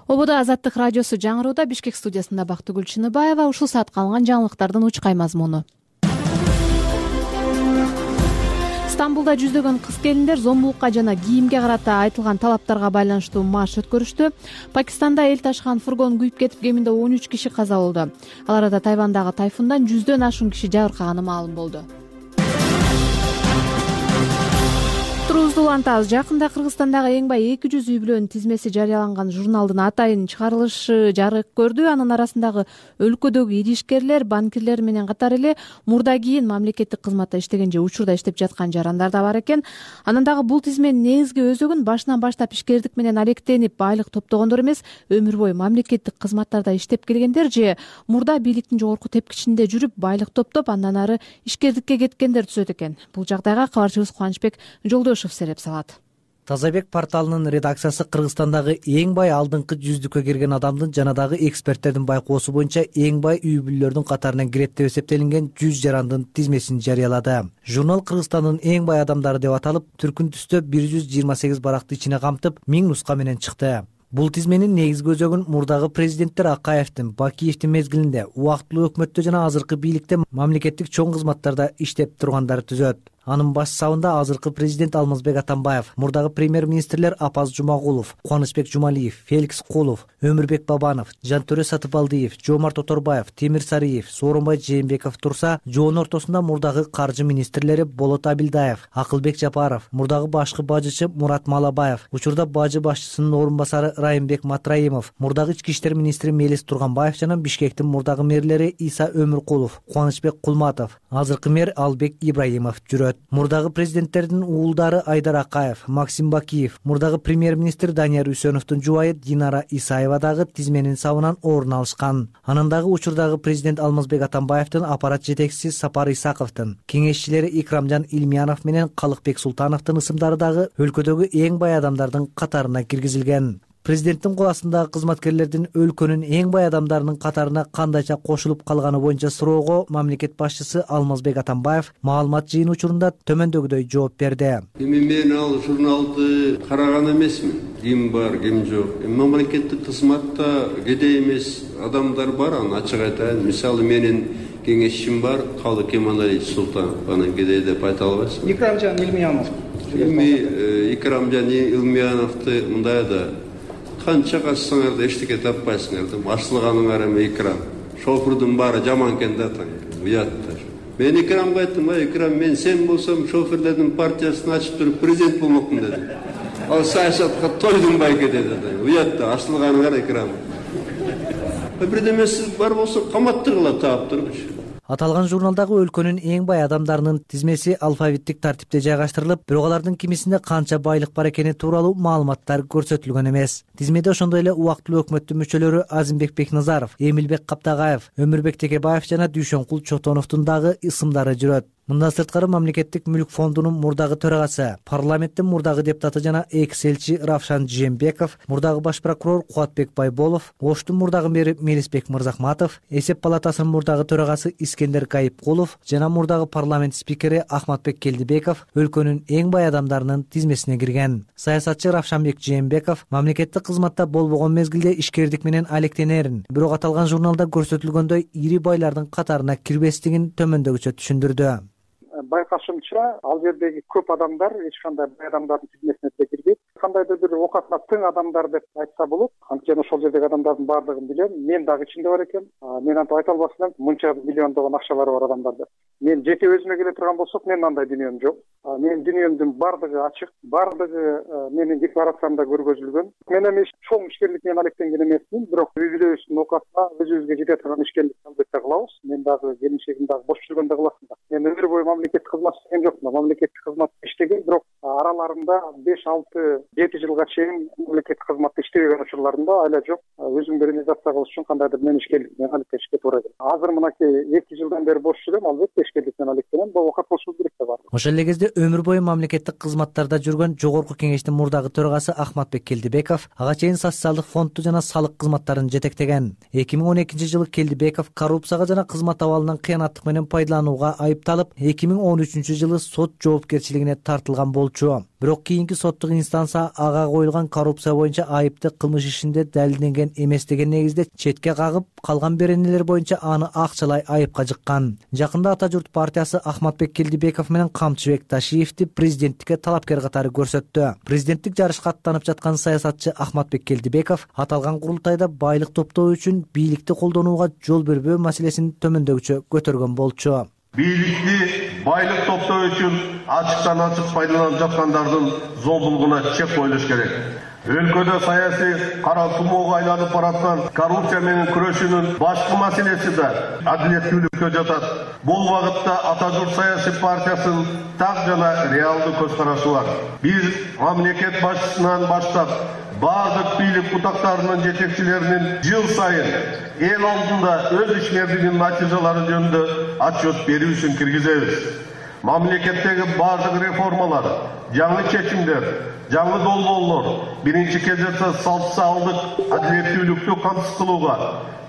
Ободо Азаттык радиосу жаңырууда, Бишкек студиясында Бактыгүл Чыныбаева. Ушул саатка алынган жаңылыктардын учкай мазмуну. Стамбулда жүздөгөн кыз келиндер зомбулукка жана кийимге карата айтылган талаптарга байланыштуу марш өткөрүштү. Пакистанда эл ташыган фургон күйүп кетип, кеминде он үч киши каза болду. Ал арада Тайвандагы тайфундан жүздөн ашуун киши жабыркаганы маалым болду. отурубузду улантабыз. Жакында Кыргызстандагы эң бай эки жүз үй бүлөнүн тизмеси жарыяланган журналдын атайын чыгарылышы жарык көрдү. Анын арасындагы өлкөдөгү иришкерлер, банкирлер менен катар эле мурда кийин мамлекеттик кызматта иштеген же учурда иштеп жаткан жарандар да бар экен. Анан дагы бул тизменин негизги өзөгүн башынан баштап ишкердик менен алектенип байлык топтогондор эмес, өмүр бою мамлекеттик кызматтарда иштеп келгендер же мурда бийликтин жогорку тепкичинде жүрүп байлык топтоп андан ары ишкердикке кеткендер түзөт экен. Бул жагдайга кабарчыбыз Кубанычбек Жолдошев сереп салат. Тазабек порталынын редакциясы Кыргызстандагы эң бай алдыңкы жүздүккө кирген адамдын жана дагы эксперттердин байкоосу боюнча эң бай үй бүлөлөрдүн катарына кирет деп эсептелинген жүз жарандын тизмесин жарыялады. Журнал Кыргызстандын эң бай адамдары деп аталып, түркүн түстө бир жүз жыйырма сегиз баракты ичине камтып, миң нуска менен чыкты. Бул тизменин негизги өзөгүн мурдагы президенттер Акаевдин, Бакиевдин мезгилинде убактылуу өкмөттө жана азыркы бийликте мамлекеттик чоң кызматтарда иштеп тургандары түзөт. Анын баш сабында азыркы президент Алмазбек Атамбаев, мурдагы премьер-министрлер Апаз Жумагулов, Кубанычбек Жумалиев, Феликс Кулов, Өмүрбек Бабанов, Жантөре Сатыбалдиев, Жомарт Оторбаев, Темир Сариев, Сооронбай Жээнбеков турса, жоонун ортосунда мурдагы каржы министрлери Болот Абилдаев, Акылбек Жапаров, мурдагы башкы бажычы Мурат Малабаев, учурда бажы башчысынын орун басары Райымбек Матраимов, мурдагы ички иштер министри Мелис Турганбаев жана Бишкектин мурдагы мэрлери Иса Өмүркулов, Кубанычбек Кулматов, азыркы мэр Албек Ибраимов жүрөт. Мурдагы президенттердин уулдары Айдар Акаев, Максим Бакиев, мурдагы премьер-министр Данияр Үсөновдун жубайы Динара Исаева дагы тизменин сабынан орун алышкан. Анан дагы учурдагы президент Алмазбек Атамбаевдин аппарат жетекчиси Сапар Исаковдун, кеңешчилери Икрамжан Илмиянов менен Калыкбек Султановдун ысымдары дагы өлкөдөгү эң бай адамдардын катарына киргизилген. Президенттин кол астындагы кызматкерлердин өлкөнүн эң бай адамдарынын катарына кандайча кошулуп калганы боюнча суроого мамлекет башчысы Алмазбек Атамбаев маалымат жыйын учурунда төмөндөгүдөй жооп берди. Эми мен ал журналды караган эмесмин. Ким бар, ким жок. Эми мамлекеттик кызматта кедей эмес адамдар бар, аны ачык айтайын. Мисалы менин кеңешчим бар, Калык Кемалович Султанов, анан кедей деп айта албайсың. Икрамжан Илмиянов. Эми Икрамжан Илмияновду мындай да канча качсаңар да эчтеке таппайсыңар да, ашылганыңар эми Икрам. Шофердун баары жаман экен да, уяттар. Мен Икрамга айттым, ай Икрам, мен сен болсом шоферлердин партиясын ачып туруп президент болмокмун дедим. Ал саясатка тойдум байке деди. Уятта ашылганыңар Икрам. Бирдемеси бар болсо каматтыргыла таап турчу. Аталган журналдагы өлкөнүн эң бай адамдарынын тизмеси алфавиттик тартипте жайгаштырылып, бирок алардын кимисинде канча байлык бар экени тууралуу маалыматтар көрсөтүлгөн эмес. Тизмеде ошондой эле убактылуу өкмөттүн мүчөлөрү Азимбек Бекназаров, Эмилбек Каптагаев, Өмүрбек Текебаев жана Дүйшөнкул Чотоновдун дагы ысымдары жүрөт. Мындан сырткары мамлекеттик мүлк фондунун мурдагы төрагасы, парламенттин мурдагы депутаты жана экс-элчи Равшан Жээнбеков, мурдагы баш прокурор Кубатбек Байболов, Оштун мурдагы мэри Мелисбек Мырзахматов, эсеп палатасынын мурдагы төрагасы Искендер Кайыпкулов жана мурдагы парламент спикери Ахматбек Келдибеков өлкөнүн эң бай адамдарынын тизмесине кирген. Саясатчы Равшанбек Жээнбеков мамлекеттик кызматта болбогон мезгилде ишкердик менен алектенерин, бирок аталган журналда көрсөтүлгөндөй ири байлардын катарына кирбестигин төмөндөгүчө түшүндүрдү. Байкашымча, ал жердеги көп адамдар эч кандай бай адамдардын тизмесине кирбейт. Кандайдыр бир окатына тең адамдар деп айтса болот. Анткени ошол жердеги адамдардын баардыгын билем. Мен дагы ичинде бар экем. Мен антип айта албастан мынча миллиондогон акчалары бар адамдар деп. Мен жеке өзүмө келе турган болсок, менин андай дүнүйөм жок. Менин дүнүйөмдүн баардыгы ачык, баардыгы менин декларациямда көргөзүлгөн. Мен эми чоң ишкерлик менен алектенген эмесмин, бирок үй бүлөбүздүн окатына өзүбүзгө жете турган ишкерлик албетте кылабыз. Мен дагы келинчегим дагы бош жүргөндө кыласың да. Мен өмүр бою мамлекеттик кызмат иштеген жокмун. Мамлекеттик кызматта иштеген, бирок араларында беш алты жети жылга чейин мамлекеттик кызматта иштебеген учурларымда айла жок. Өзүмдү реализация кылыш үчүн кандайдыр мен ишкерлик менен алектенишке туура келет. Азыр мынакей эки жылдан бери бош жүрөм, албетте ишкерлик менен алектенем. Бул окат болушу керек да бар. Ошол эле кезде өмүр бою мамлекеттик кызматтарда жүргөн жогорку кеңештин мурдагы төрагасы Ахматбек Келдибеков ага чейин социалдык фондду жана салык кызматтарын жетектеген. эки миң он экинчи жылы Келдибеков коррупцияга жана кызмат абалынан кыянаттык менен пайдаланууга айыпталып, эки миң он үчүнчү жылы сот жоопкерчилигине тартылган болчу. Бирок кийинки соттук инстанция ага коюлган коррупция боюнча айыпты кылмыш ишинде далилденген эмес деген негизде четке кагып, калган беренелер боюнча аны акчалай айыпка жыккан. Жакында Ата журт партиясы Ахматбек Келдибеков менен Камчыбек Ташиевди президенттикке талапкер катары көрсөттү. Президенттик жарышка аттанып жаткан саясатчы Ахматбек Келдибеков аталган курултайда байлык топтоо үчүн бийликти колдонууга жол бербөө маселесин төмөндөгүчө көтөргөн болчу. бийликти байлык топтоо үчүн ачыктан ачык пайдаланып жаткандардын зомбулугуна чек коюлуш керек. Өлкөдө саясий кара тумоого айланып бараткан коррупция менен күрөшүүнүн башкы маселеси да адилеттүүлүккө жатат. Бул багытта Ата журт саясий партиясынын так жана реалдуу көз карашы бар. Биз мамлекет башчысынан баштап бардык бийлик бутактарынын жетекчилеринин жыл сайын эл алдында өз ишмердигинин натыйжалары жөнүндө отчет берүүсүн киргизебиз. Мамлекеттеги бардык реформалар, жаңы чечимдер, жаңы долбоорлор биринчи кезекте социалдык адилеттүүлүктү камсыз кылууга,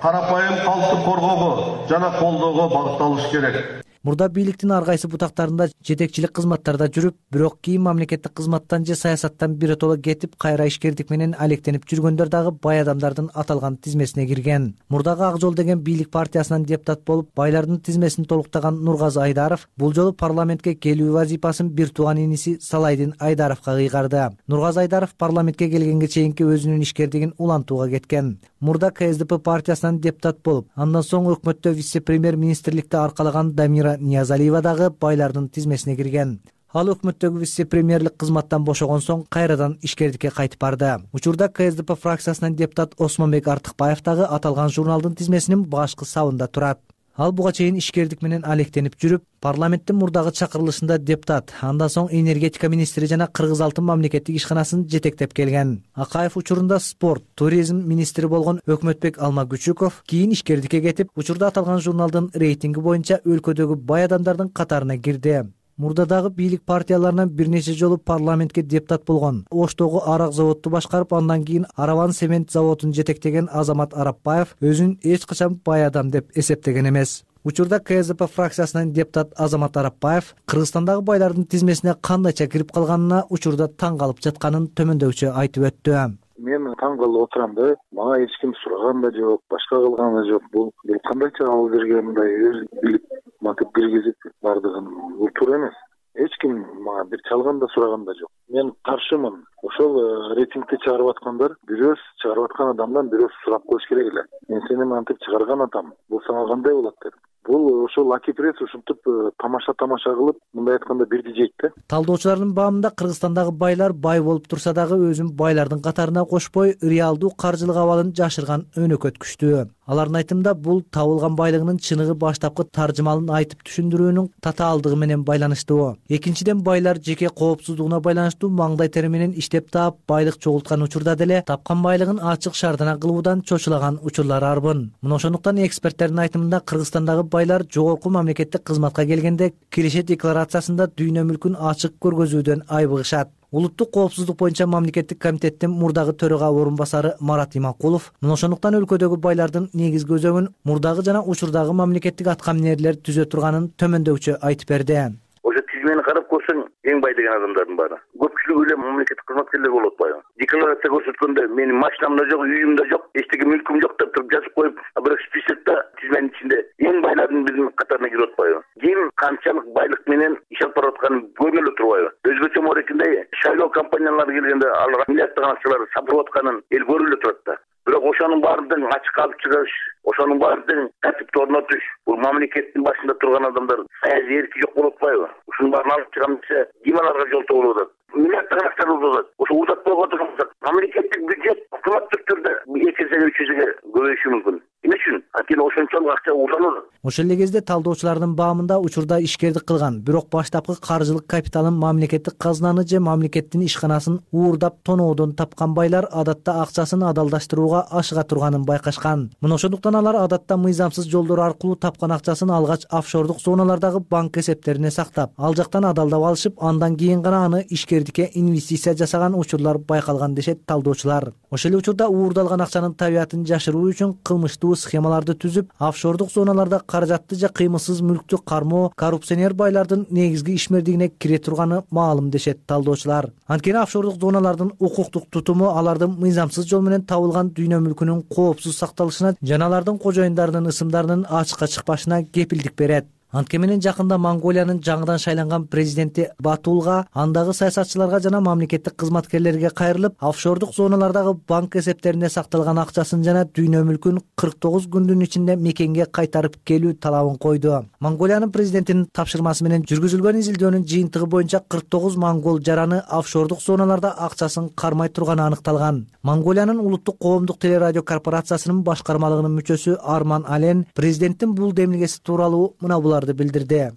карапайым калкты коргоого жана колдоого багытталышы керек. Мурда бийликтин ар кайсы бутактарында жетекчилик кызматтарда жүрүп, бирок кийин мамлекеттик кызматтан же саясаттан биротоло кетип, кайра ишкердик менен алектенип жүргөндөр дагы бай адамдардын аталган тизмесине кирген. Мурдагы Ак жол деген бийлик партиясынан депутат болуп, байлардын тизмесин толуктаган Нургазы Айдаров бул жолу парламентке келүү вазифасын бир тууган иниси Салайдин Айдаровго кыйгарды. Нургазы Айдаров парламентке келгенге чейинки өзүнүн ишкердигин улантууга кеткен. Мурда К С Д П партиясынан депутат болуп, андан соң өкмөттө вице-премьер министрликти аркалаган Дамира Ниязалиева дагы байлардын тизмесине кирген. Ал өкмөттөгү вице-премьерлик кызматтан бошогон соң кайрадан ишкердикке кайтып барды. Учурда К С Д П фракциясынан депутат Осмонбек Артыкбаев дагы аталган журналдын тизмесинин башкы сабында турат. Ал буга чейин ишкердик менен алектенип жүрүп, парламенттин мурдагы чакырылышында депутат, андан соң энергетика министри жана Кыргыз алтын мамлекеттик ишканасын жетектеп келген. Акаев учурунда спорт, туризм министри болгон Өкмөтбек Алмагүчүков кийин ишкердикке кетип, учурда аталган журналдын рейтинги боюнча өлкөдөгү бай адамдардын катарына кирди. Мурда дагы бийлик партияларынан бир нече жолу парламентке депутат болгон. Оштогу арак заводду башкарып, андан кийин Араван цемент заводун жетектеген Азамат Арапбаев өзүн эч качан бай адам деп эсептеген эмес. Учурда К С Д П фракциясынан депутат Азамат Арапбаев Кыргызстандагы байлардын тизмесине кандайча кирип калганына учурда таң калып жатканын төмөндөгүчө айтып өттү. Мен таң калып отурам да, мага эч ким сураган да жок, башка кылган да жок. Бул кандайча алып берген мындай өз билип матып киргизип бардыгын, бул туура эмес. Эч ким мага бир чалган да сураган да жок. Мен каршымын. Ошол рейтингти чыгарып аткандар бирөөс чыгарып аткан адамдан бирөөс сурап коюш керек эле. Мен сени мантип чыгарган атам. Бул сага кандай болот деп. Бул ошол Аки пресс ушинтип тамаша-тамаша кылып, мындай айтканда бирди жейт да. Талдоочулардын баамында Кыргызстандагы байлар бай болуп турса дагы өзүн байлардын катарына кошпой, реалдуу каржылык абалын жашырган өнөкөт күчтүү. Алардын айтымында бул табылган байлыгынын чыныгы баштапкы таржымалын айтып түшүндүрүүнүн татаалдыгы менен байланыштуу. Экинчиден, байлар жеке коопсуздугуна байланыштуу маңдай тери менен иштеп таап байлык чогулткан учурда деле тапкан байлыгын ачык шаардана кылуудан чочулаган учурлар арбын. Мына ошондуктан эксперттердин айтымында Кыргызстандагы байлар жогорку мамлекеттик кызматка келгенде киреше декларациясында дүйнө мүлкүн ачык көргөзүүдөн айбыгышат. Улуттук коопсуздук боюнча мамлекеттик комитеттин мурдагы төрага орун басары Марат Иманкулов мына ошондуктан өлкөдөгү байлардын негизги өзөгүн мурдагы жана учурдагы мамлекеттик аткаминерлер түзө турганын төмөндөгүчө айтып берди. Ошо тизмени карап көрсөң, эң бай деген адамдардын баары көпчүлүгү эле мамлекеттик кызматкерлер болуп атпайбы? Декларация көрсөткөндө менин машинам да жок, үйүм да жок, эчтеке мүлкүм жок деп туруп жазып коюп, бирок списокто тизменин ичинде эң байлардын биринин катарына кирип атпайбы? Ким канчалык байлык менен иш алып барып атканын көрүнө эле турбайбы? Өзгөчө морекинде шайлоо компаниялары келгенде алар миллиарддаган акчаларды сатып атканын эл көрүп эле турат да. Бирок ошонун баардыгын ачыкка алып чыгыш, ошонун баардыгын тартипти орнотуш, бул мамлекеттин башында турган адамдар саясий эрки жок болуп атпайбы? Ушунун баарын алып чыгам десе, ким аларга жолтоо болуп атат? Миллиарддаган акчаны узатат. Ошо узатпай отурган болсок, мамлекеттик бюджет автоматтык түрдө эки эсеге үч эсеге көбөйүшү мүмкүн. Эмне үчүн? Анткени ошончолук акча узанат. Ошол эле кезде талдоочулардын баамында учурда ишкердик кылган, бирок баштапкы каржылык капиталын мамлекеттик казынаны же мамлекеттин ишканасын уурдап тоноодон тапкан байлар адатта акчасын адалдаштырууга ашыга турганын байкашкан. Мына ошондуктан алар адатта мыйзамсыз жолдор аркылуу тапкан акчасын алгач офшордук зоналардагы банк эсептерине сактап, ал жактан адалдап алышып, андан кийин гана аны ишкердикке инвестиция жасаган учурлар байкалган дешет талдоочулар. Ошол эле учурда уурдалган акчанын табиятын жашыруу үчүн кылмыштуу схемаларды түзүп, офшордук зоналарда каражатты же кыймылсыз мүлктү кармоо коррупционер байлардын негизги ишмердигине кире турганы маалым дешет талдоочулар. Анткени офшордук зоналардын укуктук тутуму алардын мыйзамсыз жол менен табылган дүйнө мүлкүнүн коопсуз сакталышына жана алардын кожоюндарынын ысымдарынын ачыкка чыкпашына кепилдик берет. Антке менен жакында Монголиянын жаңыдан шайланган президенти Батулга, андагы саясатчыларга жана мамлекеттик кызматкерлерге кайрылып, офшордук зоналардагы банк эсептерине сакталган акчасын жана дүйнө мүлкүн кырк тогуз күндүн ичинде мекенге кайтарып келүү талабын койду. Монголиянын президентинин тапшырмасы менен жүргүзүлгөн изилдөөнүн жыйынтыгы боюнча кырк тогуз монгол жараны офшордук зоналарда акчасын кармай турганы аныкталган. Монголиянын улуттук коомдук телерадио корпорациясынын башкармалыгынын мүчөсү Арман Ален президенттин бул демилгеси тууралуу мына буларды билдирди.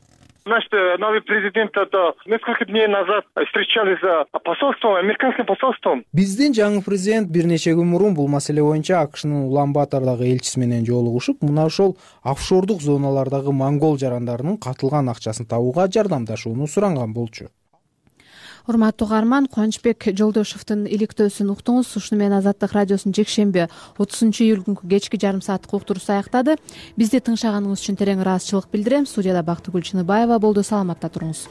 Значит, новый президент это несколько дней назад встречались с посольством, американским посольством. Биздин жаңы президент бир нече күн мурун бул маселе боюнча АКШнын Улан-Батордагы элчиси менен жолугушуп, мына ошол офшордук зоналардагы монгол жарандарынын катылган акчасын табууга жардамдашууну суранган болчу. Урматтуу угарман, Кубанычбек Жолдошевдун иликтөөсүн уктуңуз. Ушуну менен Азаттык радиосунун жекшемби отузунчу июль күнкү кечки жарым сааттык уктуруусу аяктады. Бизди тыңшаганыңыз үчүн терең ыраазычылык билдирем. Студияда Бактыгүл Чыныбаева болду. Саламатта туруңуз.